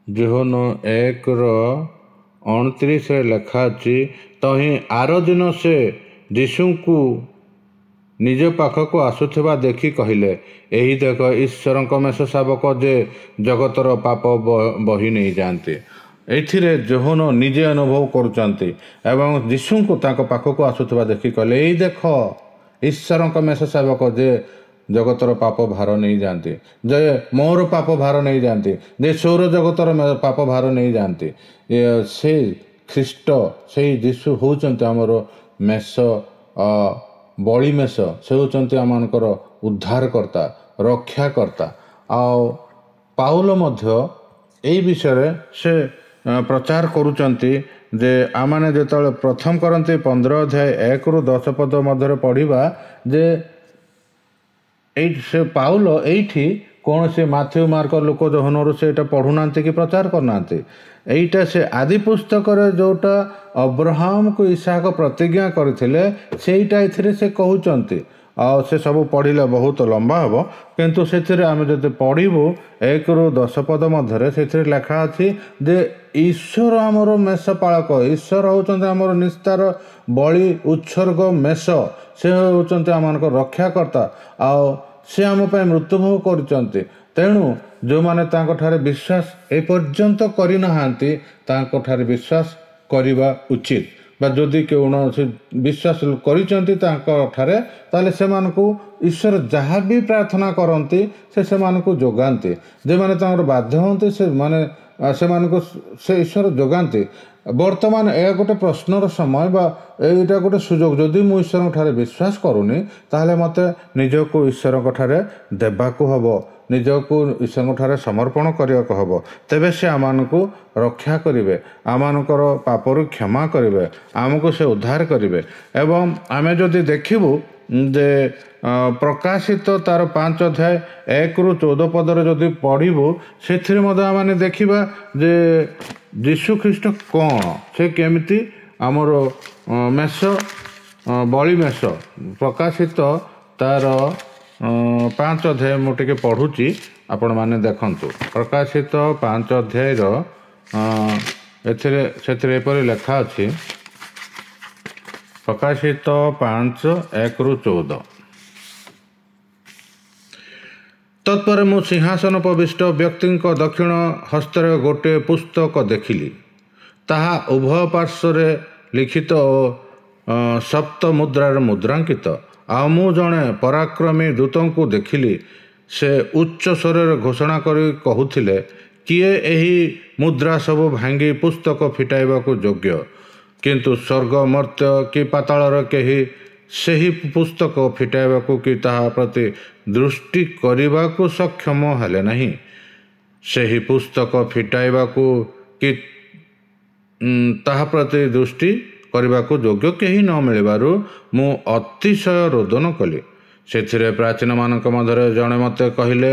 [SPEAKER 1] ଯୋହନ ଏକର ଅଣତିରିଶରେ ଲେଖା ଅଛି, ତହିଁ ଆର ଦିନ ସେ ଯୀଶୁଙ୍କୁ ନିଜ ପାଖକୁ ଆସୁଥିବା ଦେଖି କହିଲେ, ଏହି ଦେଖ ଈଶ୍ୱରଙ୍କ ମେଷ ଶାବକ ଯେ ଜଗତର ପାପ ବହି ନେଇଯାଆନ୍ତି। ଏଥିରେ ଯୋହନ ନିଜେ ଅନୁଭବ କରୁଛନ୍ତି ଏବଂ ଯୀଶୁଙ୍କୁ ତାଙ୍କ ପାଖକୁ ଆସୁଥିବା ଦେଖି କହିଲେ, ଏଇ ଦେଖ ଈଶ୍ୱରଙ୍କ ମେଷ ଶାବକ ଯେ ଜଗତର ପାପ ଭାର ନେଇଯାଆନ୍ତି, ଯେ ମୋର ପାପ ଭାର ନେଇଯାଆନ୍ତି, ଯେ ସୌର ଜଗତର ପାପ ଭାର ନେଇଯାଆନ୍ତି। ସେ ଖ୍ରୀଷ୍ଟ, ସେଇ ଯୀଶୁ ହେଉଛନ୍ତି ଆମର ମେଷ, ବଳି ମେଷ। ସେ ହେଉଛନ୍ତି ଆମମାନଙ୍କର ଉଦ୍ଧାରକର୍ତ୍ତା, ରକ୍ଷାକର୍ତ୍ତା। ଆଉ ପାଉଲ ମଧ୍ୟ ଏଇ ବିଷୟରେ ସେ ପ୍ରଚାର କରୁଛନ୍ତି ଯେ ଆମମାନେ ଯେତେବେଳେ ପ୍ରଥମ କରନ୍ତି ପନ୍ଦର ଅଧ୍ୟାୟ ଏକରୁ ଦଶ ପଦ ମଧ୍ୟରେ ପଢ଼ିବା ଯେ ଏଇ ସେ ପାଉଲ ଏଇଠି କୌଣସି ମାଥ୍ୟୁ, ମାର୍କ, ଲୂକ, ଯୋହନରୁ ସେ ଏଇଟା ପଢ଼ୁନାହାନ୍ତି କି ପ୍ରଚାର କରୁନାହାନ୍ତି। ଏଇଟା ସେ ଆଦି ପୁସ୍ତକରେ ଯେଉଁଟା ଅବ୍ରାହମକୁ ଇସାକ ପ୍ରତିଜ୍ଞା କରିଥିଲେ ସେଇଟା ଏଥିରେ ସେ କହୁଛନ୍ତି। ଆଉ ସେ ସବୁ ପଢ଼ିଲେ ବହୁତ ଲମ୍ବା ହେବ, କିନ୍ତୁ ସେଥିରେ ଆମେ ଯଦି ପଢ଼ିବୁ ଏକରୁ ଦଶ ପଦ ମଧ୍ୟରେ ସେଥିରେ ଲେଖା ଅଛି ଯେ ଈଶ୍ୱର ଆମର ମେଷ ପାଳକ, ଈଶ୍ୱର ହେଉଛନ୍ତି ଆମର ନିସ୍ତାର, ବଳି ଉତ୍ସର୍ଗ ମେଷ, ସେ ହେଉଛନ୍ତି ଆମମାନଙ୍କ ରକ୍ଷାକର୍ତ୍ତା ଆଉ ସେ ଆମ ପାଇଁ ମୃତ୍ୟୁଭୋଗ କରୁଛନ୍ତି। ତେଣୁ ଯେଉଁମାନେ ତାଙ୍କଠାରେ ବିଶ୍ୱାସ ଏପର୍ଯ୍ୟନ୍ତ କରିନାହାନ୍ତି ତାଙ୍କଠାରେ ବିଶ୍ୱାସ କରିବା ଉଚିତ, ବା ଯଦି କୌଣସି ବିଶ୍ୱାସ କରିଛନ୍ତି ତାଙ୍କଠାରେ ତାହେଲେ ସେମାନଙ୍କୁ ଈଶ୍ୱର ଯାହା ବି ପ୍ରାର୍ଥନା କରନ୍ତି ସେ ସେମାନଙ୍କୁ ଯୋଗାନ୍ତି। ଯେଉଁମାନେ ତାଙ୍କର ବାଧ୍ୟ ହୁଅନ୍ତି ସେମାନେ ସେମାନଙ୍କୁ ସେ ଈଶ୍ୱର ଯୋଗାନ୍ତି। ବର୍ତ୍ତମାନ ଏହା ଗୋଟେ ପ୍ରଶ୍ନର ସମୟ ବା ଏଇଟା ଗୋଟେ ସୁଯୋଗ। ଯଦି ମୁଁ ଈଶ୍ୱରଙ୍କ ଠାରେ ବିଶ୍ୱାସ କରୁନି ତାହେଲେ ମୋତେ ନିଜକୁ ଈଶ୍ୱରଙ୍କ ଠାରେ ଦେବାକୁ ହେବ, ନିଜକୁ ଈଶ୍ୱରଙ୍କଠାରେ ସମର୍ପଣ କରିବାକୁ ହେବ। ତେବେ ସେ ଆମମାନଙ୍କୁ ରକ୍ଷା କରିବେ, ଆମମାନଙ୍କର ପାପରୁ କ୍ଷମା କରିବେ, ଆମକୁ ସେ ଉଦ୍ଧାର କରିବେ। ଏବଂ ଆମେ ଯଦି ଦେଖିବୁ ଯେ ପ୍ରକାଶିତ ତାର ପାଞ୍ଚ ଅଧ୍ୟାୟ ଏକରୁ ଚଉଦ ପଦରେ ଯଦି ପଢ଼ିବୁ, ସେଥିରେ ମଧ୍ୟ ଆମେ ଦେଖିବା ଯେ ଯୀଶୁ ଖ୍ରୀଷ୍ଟ କ'ଣ, ସେ କେମିତି ଆମର ମେଷ, ବଳି ମେଷ। ପ୍ରକାଶିତ ତାର ପାଞ୍ଚ ଅଧ୍ୟାୟ ମୁଁ ଟିକେ ପଢ଼ୁଛି, ଆପଣମାନେ ଦେଖନ୍ତୁ। ପ୍ରକାଶିତ ପାଞ୍ଚ ଅଧ୍ୟାୟର ଏଥିରେ ସେଥିରେ ଏପରି ଲେଖା ଅଛି, ପ୍ରକାଶିତ ପାଞ୍ଚ ଏକରୁ ଚଉଦ। ତତ୍ପରେ ମୁଁ ସିଂହାସନୋପବିଷ୍ଟ ବ୍ୟକ୍ତିଙ୍କ ଦକ୍ଷିଣ ହସ୍ତରେ ଗୋଟିଏ ପୁସ୍ତକ ଦେଖିଲି। ତାହା ଉଭୟ ପାର୍ଶ୍ୱରେ ଲିଖିତ ଓ ସପ୍ତ ମୁଦ୍ରାରେ ମୁଦ୍ରାଙ୍କିତ। ଆଉ ମୁଁ ଜଣେ ପରାକ୍ରମୀ ଦୂତଙ୍କୁ ଦେଖିଲି, ସେ ଉଚ୍ଚ ସ୍ୱରରେ ଘୋଷଣା କରି କହୁଥିଲେ, କିଏ ଏହି ମୁଦ୍ରା ସବୁ ଭାଙ୍ଗି ପୁସ୍ତକ ଫିଟାଇବାକୁ ଯୋଗ୍ୟ? କିନ୍ତୁ ସ୍ୱର୍ଗ, ମର୍ତ୍ତ୍ୟ କି ପାତାଳର କେହି ସେହି ପୁସ୍ତକ ଫିଟାଇବାକୁ କି ତାହା ପ୍ରତି ଦୃଷ୍ଟି କରିବାକୁ ସକ୍ଷମ ହେଲେ ନାହିଁ। ସେହି ପୁସ୍ତକ ଫିଟାଇବାକୁ କି ତାହା ପ୍ରତି ଦୃଷ୍ଟି କରିବାକୁ ଯୋଗ୍ୟ କେହି ନ ମିଳିବାରୁ ମୁଁ ଅତିଶୟ ରୋଦନ କଲି। ସେଥିରେ ପ୍ରାଚୀନମାନଙ୍କ ମଧ୍ୟରେ ଜଣେ ମୋତେ କହିଲେ,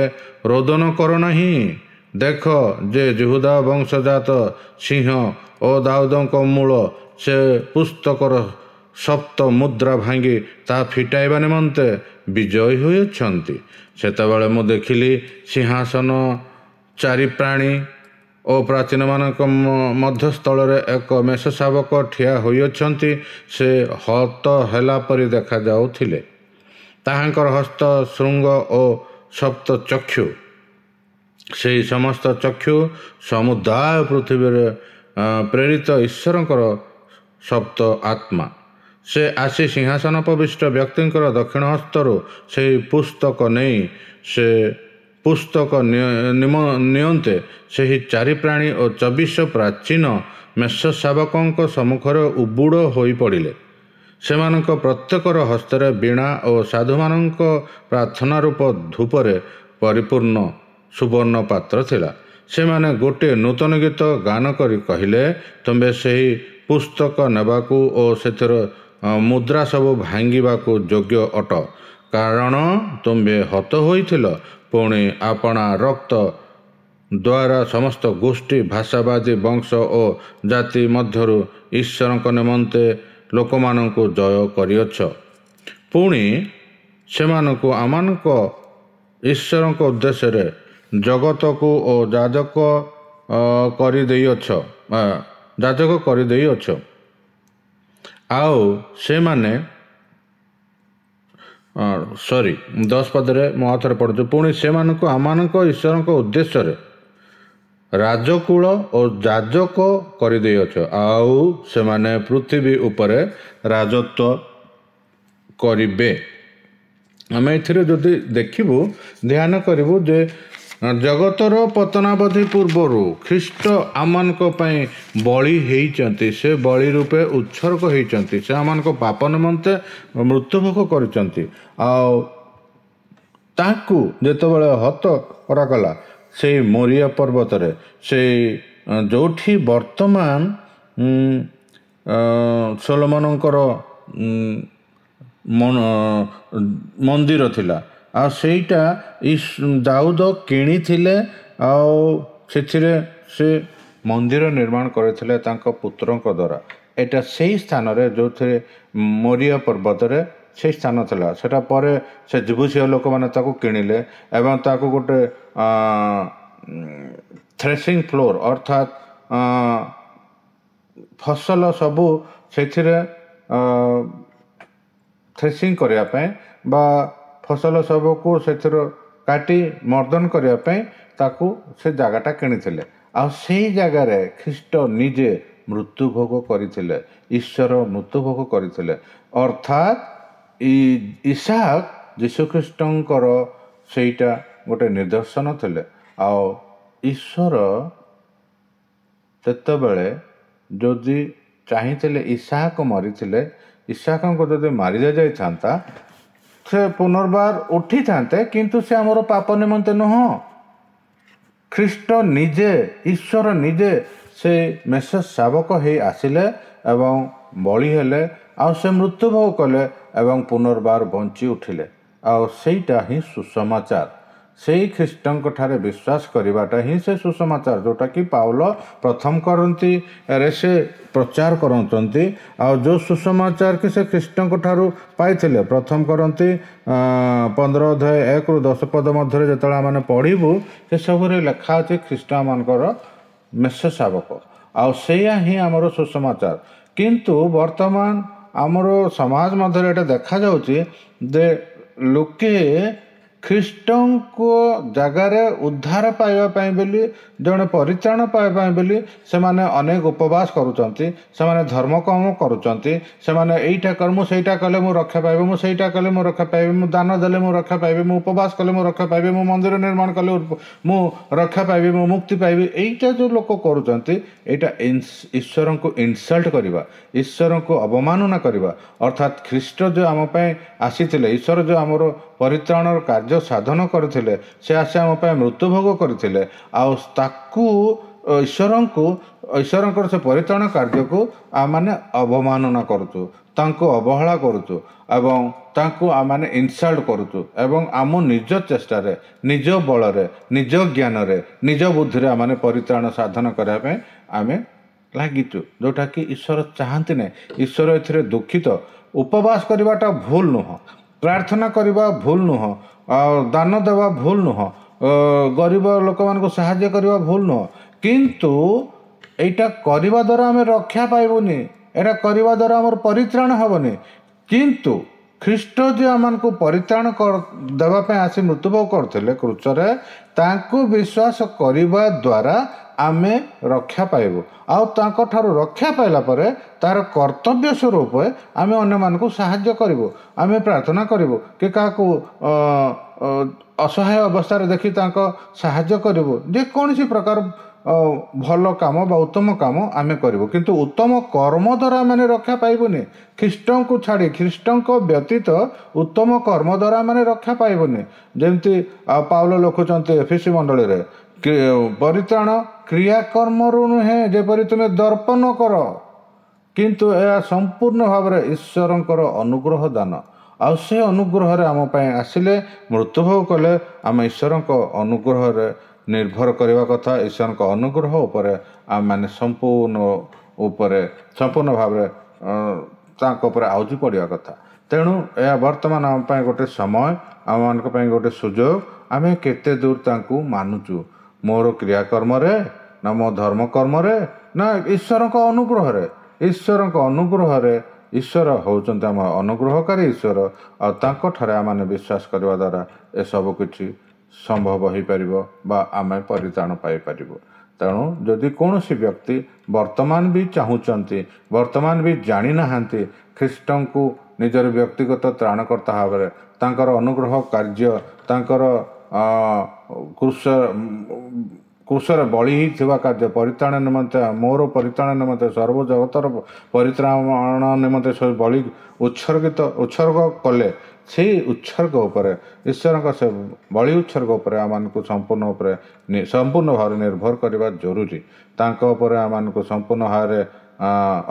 [SPEAKER 1] ରୋଦନ କର ନାହିଁ, ଦେଖ ଯେ ଯିହୁଦା ବଂଶଜାତ ସିଂହ ଓ ଦାଉଦଙ୍କ ମୂଳ, ସେ ପୁସ୍ତକର ସପ୍ତ ମୁଦ୍ରା ଭାଙ୍ଗି ତାହା ଫିଟାଇବା ନିମନ୍ତେ ବିଜୟୀ ହୋଇଅଛନ୍ତି। ସେତେବେଳେ ମୁଁ ଦେଖିଲି ସିଂହାସନ, ଚାରି ପ୍ରାଣୀ ଓ ପ୍ରାଚୀନମାନଙ୍କ ମଧ୍ୟସ୍ଥଳରେ ଏକ ମେଷ ଶାବକ ଠିଆ ହୋଇଅଛନ୍ତି। ସେ ହତ ହେଲା ପରି ଦେଖାଯାଉଥିଲେ। ତାହାଙ୍କର ହସ୍ତ, ଶୃଙ୍ଗ ଓ ସପ୍ତ ଚକ୍ଷୁ। ସେହି ସମସ୍ତ ଚକ୍ଷୁ ସମୁଦାୟ ପୃଥିବୀରେ ପ୍ରେରିତ ଈଶ୍ୱରଙ୍କର ସପ୍ତ ଆତ୍ମା। ସେ ଆସି ସିଂହାସନୋପବିଷ୍ଟ ବ୍ୟକ୍ତିଙ୍କର ଦକ୍ଷିଣ ହସ୍ତରୁ ସେହି ପୁସ୍ତକ ନେଇ ସେ ପୁସ୍ତକ ନିଅନ୍ତେ ସେହି ଚାରି ପ୍ରାଣୀ ଓ ଚବିଶ ପ୍ରାଚୀନ ମେଷ ଶାବକଙ୍କ ସମ୍ମୁଖରେ ଉବୁଡ଼ ହୋଇପଡ଼ିଲେ। ସେମାନଙ୍କ ପ୍ରତ୍ୟେକର ହସ୍ତରେ ବୀଣା ଓ ସାଧୁମାନଙ୍କ ପ୍ରାର୍ଥନା ରୂପ ଧୂପରେ ପରିପୂର୍ଣ୍ଣ ସୁବର୍ଣ୍ଣ ପାତ୍ର ଥିଲା। ସେମାନେ ଗୋଟିଏ ନୂତନ ଗୀତ ଗାନ କରି କହିଲେ, ତୁମ୍ଭେ ସେହି ପୁସ୍ତକ ନେବାକୁ ଓ ସେଥିର ମୁଦ୍ରା ସବୁ ଭାଙ୍ଗିବାକୁ ଯୋଗ୍ୟ ଅଟ, କାରଣ ତୁମ୍ଭେ ହତ ହୋଇଥିଲ, ପୁଣି ଆପଣା ରକ୍ତ ଦ୍ୱାରା ସମସ୍ତ ଗୋଷ୍ଠୀ, ଭାଷାବାଦୀ, ବଂଶ ଓ ଜାତି ମଧ୍ୟରୁ ଈଶ୍ୱରଙ୍କ ନିମନ୍ତେ ଲୋକମାନଙ୍କୁ ଜୟ କରିଅଛ। ପୁଣି ସେମାନଙ୍କୁ ଆମମାନଙ୍କ ଈଶ୍ୱରଙ୍କ ଉଦ୍ଦେଶ୍ୟରେ ଜଗତକୁ ଓ ଯାଜକ କରିଦେଇଅଛ ଯାଜକ କରିଦେଇଅଛ। ଆଉ ସେମାନେ ସରି ଦଶ ପଦରେ ମୁଁ ଆଉ ଥରେ ପଢ଼ୁଛି, ପୁଣି ସେମାନଙ୍କୁ ଆମମାନଙ୍କ ଈଶ୍ୱରଙ୍କ ଉଦ୍ଦେଶ୍ୟରେ ରାଜକୁଳ ଓ ଯାଜକ କରିଦେଇଅଛ, ଆଉ ସେମାନେ ପୃଥିବୀ ଉପରେ ରାଜତ୍ୱ କରିବେ। ଆମେ ଏଥିରେ ଯଦି ଦେଖିବୁ, ଧ୍ୟାନ କରିବୁ ଯେ ଜଗତର ପତନାବଧି ପୂର୍ବରୁ ଖ୍ରୀଷ୍ଟ ଆମମାନଙ୍କ ପାଇଁ ବଳି ହେଇଛନ୍ତି, ସେ ବଳି ରୂପେ ଉତ୍ସର୍ଗ ହେଇଛନ୍ତି, ସେ ଆମମାନଙ୍କ ପାପ ନିମନ୍ତେ ମୃତ୍ୟୁଭୋଗ କରିଛନ୍ତି। ଆଉ ତାଙ୍କୁ ଯେତେବେଳେ ହତ କରାଗଲା ସେଇ ମୋରିଆ ପର୍ବତରେ, ସେଇ ଯେଉଁଠି ବର୍ତ୍ତମାନ ସୋଲୋମନଙ୍କର ମନ୍ଦିର ଥିଲା, ଆଉ ସେଇଟା ଦାଉଦ କିଣିଥିଲେ, ଆଉ ସେଥିରେ ସେ ମନ୍ଦିର ନିର୍ମାଣ କରିଥିଲେ ତାଙ୍କ ପୁତ୍ରଙ୍କ ଦ୍ୱାରା। ଏଇଟା ସେଇ ସ୍ଥାନରେ ଯେଉଁଥିରେ ମୋରିଆ ପର୍ବତରେ ସେଇ ସ୍ଥାନ ଥିଲା। ସେଟା ପରେ ସେ ଯିବୁସିଆ ଲୋକମାନେ ତାକୁ କିଣିଲେ ଏବଂ ତାକୁ ଗୋଟେ ଥ୍ରେସିଂ ଫ୍ଲୋର୍, ଅର୍ଥାତ୍ ଫସଲ ସବୁ ସେଥିରେ ଥ୍ରେସିଂ କରିବା ପାଇଁ ବା ଫସଲ ସବୁକୁ ସେଥିରୁ କାଟି ମର୍ଦନ କରିବା ପାଇଁ ତାକୁ ସେ ଜାଗାଟା କିଣିଥିଲେ। ଆଉ ସେଇ ଜାଗାରେ ଖ୍ରୀଷ୍ଟ ନିଜେ ମୃତ୍ୟୁଭୋଗ କରିଥିଲେ, ଈଶ୍ୱର ମୃତ୍ୟୁଭୋଗ କରିଥିଲେ। ଅର୍ଥାତ୍ ଇସାକ ଯୀଶୁଖ୍ରୀଷ୍ଟଙ୍କର ସେଇଟା ଗୋଟେ ନିଦର୍ଶନ ଥିଲେ। ଆଉ ଈଶ୍ୱର ସେତେବେଳେ ଯଦି ଚାହିଁଥିଲେ, ଇସାକ ମରିଥିଲେ, ଇସାକଙ୍କୁ ଯଦି ମାରି ଦିଆଯାଇଥାନ୍ତା, ସେ ପୁନର୍ବାର ଉଠିଥାନ୍ତେ, କିନ୍ତୁ ସେ ଆମର ପାପ ନିମନ୍ତେ ନୁହଁ। ଖ୍ରୀଷ୍ଟ ନିଜେ, ଈଶ୍ୱର ନିଜେ ସେ ମେଷ ଶାବକ ହେଇ ଆସିଲେ ଏବଂ ବଳି ହେଲେ, ଆଉ ସେ ମୃତ୍ୟୁଭୋଗ କଲେ ଏବଂ ପୁନର୍ବାର ବଞ୍ଚି ଉଠିଲେ। ଆଉ ସେଇଟା ହିଁ ସୁସମାଚାର। ସେଇ ଖ୍ରୀଷ୍ଟଙ୍କ ଠାରେ ବିଶ୍ୱାସ କରିବାଟା ହିଁ ସେ ସୁସମାଚାର, ଯେଉଁଟାକି ପାଉଲ ପ୍ରଥମ କରିନ୍ଥୀରେ ସେ ପ୍ରଚାର କରୁଛନ୍ତି। ଆଉ ଯେଉଁ ସୁସମାଚାର କି ସେ ଖ୍ରୀଷ୍ଟଙ୍କ ଠାରୁ ପାଇଥିଲେ, ପ୍ରଥମ କରିନ୍ଥୀ ପନ୍ଦର ଅଧ୍ୟାୟ ଏକରୁ ଦଶ ପଦ ମଧ୍ୟରେ ଯେତେବେଳେ ଆମେ ପଢ଼ିବୁ, ସେସବୁରେ ଲେଖା ଅଛି ଖ୍ରୀଷ୍ଟ ଆମମାନଙ୍କର ମେଷ ଶାବକ, ଆଉ ସେଇଆ ହିଁ ଆମର ସୁସମାଚାର। କିନ୍ତୁ ବର୍ତ୍ତମାନ ଆମର ସମାଜ ମଧ୍ୟରେ ଏଇଟା ଦେଖାଯାଉଛି ଯେ ଲୋକେ ଖ୍ରୀଷ୍ଟଙ୍କ ଜାଗାରେ ଉଦ୍ଧାର ପାଇବା ପାଇଁ ବୋଲି, ଜଣେ ପରିତ୍ରାଣ ପାଇବା ପାଇଁ ବୋଲି ସେମାନେ ଅନେକ ଉପବାସ କରୁଛନ୍ତି, ସେମାନେ ଧର୍ମକର୍ମ କରୁଛନ୍ତି, ସେମାନେ ଏଇଟା କର, ମୁଁ ସେଇଟା କଲେ ମୁଁ ରକ୍ଷା ପାଇବି, ମୁଁ ସେଇଟା କଲେ ମୁଁ ରକ୍ଷା ପାଇବି, ମୁଁ ଦାନ ଦେଲେ ମୁଁ ରକ୍ଷା ପାଇବି, ମୁଁ ଉପବାସ କଲେ ମୁଁ ରକ୍ଷା ପାଇବି, ମୁଁ ମନ୍ଦିର ନିର୍ମାଣ କଲେ ମୁଁ ରକ୍ଷା ପାଇବି, ମୁଁ ମୁକ୍ତି ପାଇବି। ଏଇଟା ଯେଉଁ ଲୋକ କରୁଛନ୍ତି, ଏଇଟା ଈଶ୍ୱରଙ୍କୁ ଇନସଲ୍ଟ କରିବା, ଈଶ୍ୱରଙ୍କୁ ଅବମାନନା କରିବା। ଅର୍ଥାତ୍ ଖ୍ରୀଷ୍ଟ ଯେଉଁ ଆମ ପାଇଁ ଆସିଥିଲେ, ଈଶ୍ୱର ଯେଉଁ ଆମର ପରିତ୍ରାଣର କାର୍ଯ୍ୟ ସାଧନ କରିଥିଲେ, ସେ ଆସି ଆମ ପାଇଁ ମୃତ୍ୟୁଭୋଗ କରିଥିଲେ, ଆଉ ତାକୁ ଈଶ୍ୱରଙ୍କୁ, ଈଶ୍ୱରଙ୍କର ସେ ପରିତ୍ରାଣ କାର୍ଯ୍ୟକୁ ଆମମାନେ ଅବମାନନା କରୁଛୁ, ତାଙ୍କୁ ଅବହେଳା କରୁଛୁ ଏବଂ ତାଙ୍କୁ ଆମମାନେ ଇନସଲ୍ଟ କରୁଛୁ ଏବଂ ଆମ ନିଜ ଚେଷ୍ଟାରେ, ନିଜ ବଳରେ, ନିଜ ଜ୍ଞାନରେ, ନିଜ ବୁଦ୍ଧିରେ ଆମମାନେ ପରିତ୍ରାଣ ସାଧନ କରିବା ପାଇଁ ଆମେ ଲାଗିଛୁ, ଯେଉଁଟାକି ଈଶ୍ୱର ଚାହାନ୍ତି ନାହିଁ। ଈଶ୍ୱର ଏଥିରେ ଦୁଃଖିତ। ଉପବାସ କରିବାଟା ଭୁଲ ନୁହଁ, ପ୍ରାର୍ଥନା କରିବା ଭୁଲ ନୁହଁ, ଆଉ ଦାନ ଦେବା ଭୁଲ ନୁହଁ, ଗରିବ ଲୋକମାନଙ୍କୁ ସାହାଯ୍ୟ କରିବା ଭୁଲ ନୁହଁ, କିନ୍ତୁ ଏଇଟା କରିବା ଦ୍ୱାରା ଆମେ ରକ୍ଷା ପାଇବୁନି, ଏଇଟା କରିବା ଦ୍ୱାରା ଆମର ପରିତ୍ରାଣ ହେବନି। କିନ୍ତୁ ଖ୍ରୀଷ୍ଟ ଯେ ଆମମାନଙ୍କୁ ପରିତ୍ରାଣ ଦେବା ପାଇଁ ଆସି ମୃତ୍ୟୁଭୋଗ କରୁଥିଲେ କ୍ରୁଶରେ, ତାଙ୍କୁ ବିଶ୍ୱାସ କରିବା ଦ୍ୱାରା ଆମେ ରକ୍ଷା ପାଇବୁ। ଆଉ ତାଙ୍କଠାରୁ ରକ୍ଷା ପାଇଲା ପରେ ତାର କର୍ତ୍ତବ୍ୟ ସ୍ୱରୂପ ଆମେ ଅନ୍ୟମାନଙ୍କୁ ସାହାଯ୍ୟ କରିବୁ, ଆମେ ପ୍ରାର୍ଥନା କରିବୁ କି କାହାକୁ ଅସହାୟ ଅବସ୍ଥାରେ ଦେଖି ତାଙ୍କ ସାହାଯ୍ୟ କରିବୁ, ଯେକୌଣସି ପ୍ରକାର ଭଲ କାମ ବା ଉତ୍ତମ କାମ ଆମେ କରିବୁ। କିନ୍ତୁ ଉତ୍ତମ କର୍ମ ଦ୍ୱାରା ଆମେ ରକ୍ଷା ପାଇବୁନି। ଖ୍ରୀଷ୍ଟଙ୍କୁ ଛାଡ଼ି, ଖ୍ରୀଷ୍ଟଙ୍କ ବ୍ୟତୀତ ଉତ୍ତମ କର୍ମ ଦ୍ୱାରା ଆମେ ରକ୍ଷା ପାଇବୁନି। ଯେମିତି ପାଉଲ ଲେଖୁଛନ୍ତି ଏଫିସି ମଣ୍ଡଳୀରେ, ପରିତ୍ରାଣ କ୍ରିୟାକର୍ମରୁ ନୁହେଁ, ଯେପରି ତୁମେ ଦର୍ପଣ କର, କିନ୍ତୁ ଏହା ସମ୍ପୂର୍ଣ୍ଣ ଭାବରେ ଈଶ୍ୱରଙ୍କର ଅନୁଗ୍ରହ ଦାନ। ଆଉ ସେ ଅନୁଗ୍ରହରେ ଆମ ପାଇଁ ଆସିଲେ, ମୃତ୍ୟୁଭୋଗ କଲେ। ଆମେ ଈଶ୍ୱରଙ୍କ ଅନୁଗ୍ରହରେ ନିର୍ଭର କରିବା କଥା। ଈଶ୍ୱରଙ୍କ ଅନୁଗ୍ରହ ଉପରେ ଆମେମାନେ ସମ୍ପୂର୍ଣ୍ଣ ଉପରେ ସମ୍ପୂର୍ଣ୍ଣ ଭାବରେ ତାଙ୍କ ଉପରେ ଆଉଜି ପଡ଼ିବା କଥା। ତେଣୁ ଏହା ବର୍ତ୍ତମାନ ଆମ ପାଇଁ ଗୋଟେ ସମୟ, ଆମମାନଙ୍କ ପାଇଁ ଗୋଟେ ସୁଯୋଗ। ଆମେ କେତେ ଦୂର ତାଙ୍କୁ ମାନୁଛୁ, ମୋର କ୍ରିୟାକର୍ମରେ ନା ମୋ ଧର୍ମକର୍ମରେ ନା ଈଶ୍ୱରଙ୍କ ଅନୁଗ୍ରହରେ? ଈଶ୍ୱରଙ୍କ ଅନୁଗ୍ରହରେ। ଈଶ୍ୱର ହେଉଛନ୍ତି ଆମ ଅନୁଗ୍ରହକାରୀ ଈଶ୍ୱର, ଆଉ ତାଙ୍କଠାରେ ଆମମାନେ ବିଶ୍ୱାସ କରିବା ଦ୍ୱାରା ଏସବୁ କିଛି ସମ୍ଭବ ହୋଇପାରିବ ବା ଆମେ ପରିତ୍ରାଣ ପାଇପାରିବୁ। ତେଣୁ ଯଦି କୌଣସି ବ୍ୟକ୍ତି ବର୍ତ୍ତମାନ ବି ଚାହୁଁଛନ୍ତି, ବର୍ତ୍ତମାନ ବି ଜାଣିନାହାନ୍ତି ଖ୍ରୀଷ୍ଟଙ୍କୁ ନିଜର ବ୍ୟକ୍ତିଗତ ତ୍ରାଣକର୍ତ୍ତା ଭାବରେ, ତାଙ୍କର ଅନୁଗ୍ରହ କାର୍ଯ୍ୟ, ତାଙ୍କର କ୍ରୁଶ କ୍ରୁଶରେ ବଳି ହେଇଥିବା କାର୍ଯ୍ୟ ପରିତ୍ରାଣ ନିମନ୍ତେ, ମୋର ପରିତ୍ରାଣ ନିମନ୍ତେ, ସର୍ବଜଗତର ପରିତ୍ରାଣ ନିମନ୍ତେ ସେ ବଳି ଉତ୍ସର୍ଗିତ ଉତ୍ସର୍ଗ କଲେ, ସେଇ ଉତ୍ସର୍ଗ ଉପରେ, ଈଶ୍ୱରଙ୍କ ସେ ବଳି ଉତ୍ସର୍ଗ ଉପରେ ଆମମାନଙ୍କୁ ସମ୍ପୂର୍ଣ୍ଣ ଉପରେ ସମ୍ପୂର୍ଣ୍ଣ ଭାବରେ ନିର୍ଭର କରିବା ଜରୁରୀ। ତାଙ୍କ ଉପରେ ଆମମାନଙ୍କୁ ସମ୍ପୂର୍ଣ୍ଣ ଭାବରେ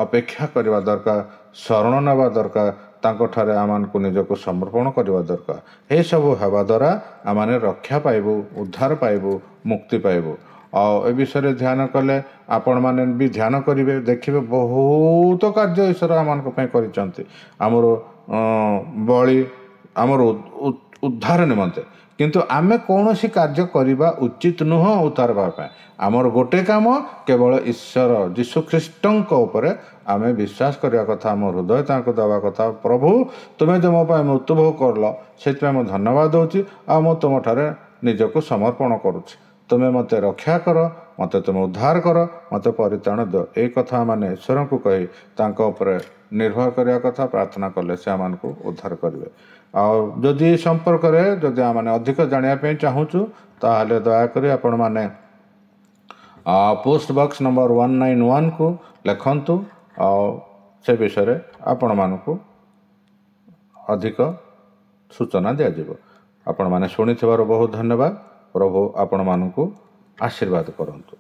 [SPEAKER 1] ଅପେକ୍ଷା କରିବା ଦରକାର, ଶରଣ ନେବା ଦରକାର, ତାଙ୍କଠାରେ ଆମମାନଙ୍କୁ ନିଜକୁ ସମର୍ପଣ କରିବା ଦରକାର। ଏସବୁ ହେବା ଦ୍ୱାରା ଆମମାନେ ରକ୍ଷା ପାଇବୁ, ଉଦ୍ଧାର ପାଇବୁ, ମୁକ୍ତି ପାଇବୁ। ଆଉ ଏ ବିଷୟରେ ଧ୍ୟାନ କଲେ ଆପଣମାନେ ବି ଧ୍ୟାନ କରିବେ, ଦେଖିବେ ବହୁତ କାର୍ଯ୍ୟ ଈଶ୍ୱର ଆମମାନଙ୍କ ପାଇଁ କରିଛନ୍ତି ଆମର ବଳି, ଆମର ଉଦ୍ଧାର ନିମନ୍ତେ। କିନ୍ତୁ ଆମେ କୌଣସି କାର୍ଯ୍ୟ କରିବା ଉଚିତ ନୁହଁ ଉଦ୍ଧାର ପାଇବା ପାଇଁ। ଆମର ଗୋଟେ କାମ, କେବଳ ଈଶ୍ୱର ଯୀଶୁଖ୍ରୀଷ୍ଟଙ୍କ ଉପରେ ଆମେ ବିଶ୍ୱାସ କରିବା କଥା, ଆମ ହୃଦୟ ତାଙ୍କୁ ଦେବା କଥା। ପ୍ରଭୁ, ତୁମେ ଯେ ମୋ ପାଇଁ ମୃତ୍ୟୁଭୋଗ କଲ, ସେଥିପାଇଁ ମୁଁ ଧନ୍ୟବାଦ ଦେଉଛି, ଆଉ ମୁଁ ତୁମଠାରେ ନିଜକୁ ସମର୍ପଣ କରୁଛି। ତୁମେ ମୋତେ ରକ୍ଷା କର, ମୋତେ ତୁମେ ଉଦ୍ଧାର କର, ମୋତେ ପରିତ୍ରାଣ ଦିଅ। ଏଇ କଥା ମାନେ ଈଶ୍ୱରଙ୍କୁ କହି ତାଙ୍କ ଉପରେ ନିର୍ଭର କରିବା କଥା, ପ୍ରାର୍ଥନା କଲେ ସେ ଆମମାନଙ୍କୁ ଉଦ୍ଧାର କରିବେ। ଆଉ ଯଦି ଏ ସମ୍ପର୍କରେ ଯଦି ଆମମାନେ ଅଧିକ ଜାଣିବା ପାଇଁ ଚାହୁଁଛୁ, ତାହେଲେ ଦୟାକରି ଆପଣମାନେ post box number one nine ୱାନ୍କୁ ଲେଖନ୍ତୁ, ଆଉ ସେ ବିଷୟରେ ଆପଣମାନଙ୍କୁ ଅଧିକ ସୂଚନା ଦିଆଯିବ। ଆପଣମାନେ ଶୁଣିଥିବାରୁ ବହୁତ ଧନ୍ୟବାଦ। ପ୍ରଭୁ ଆପଣମାନଙ୍କୁ ଆଶୀର୍ବାଦ କରନ୍ତୁ।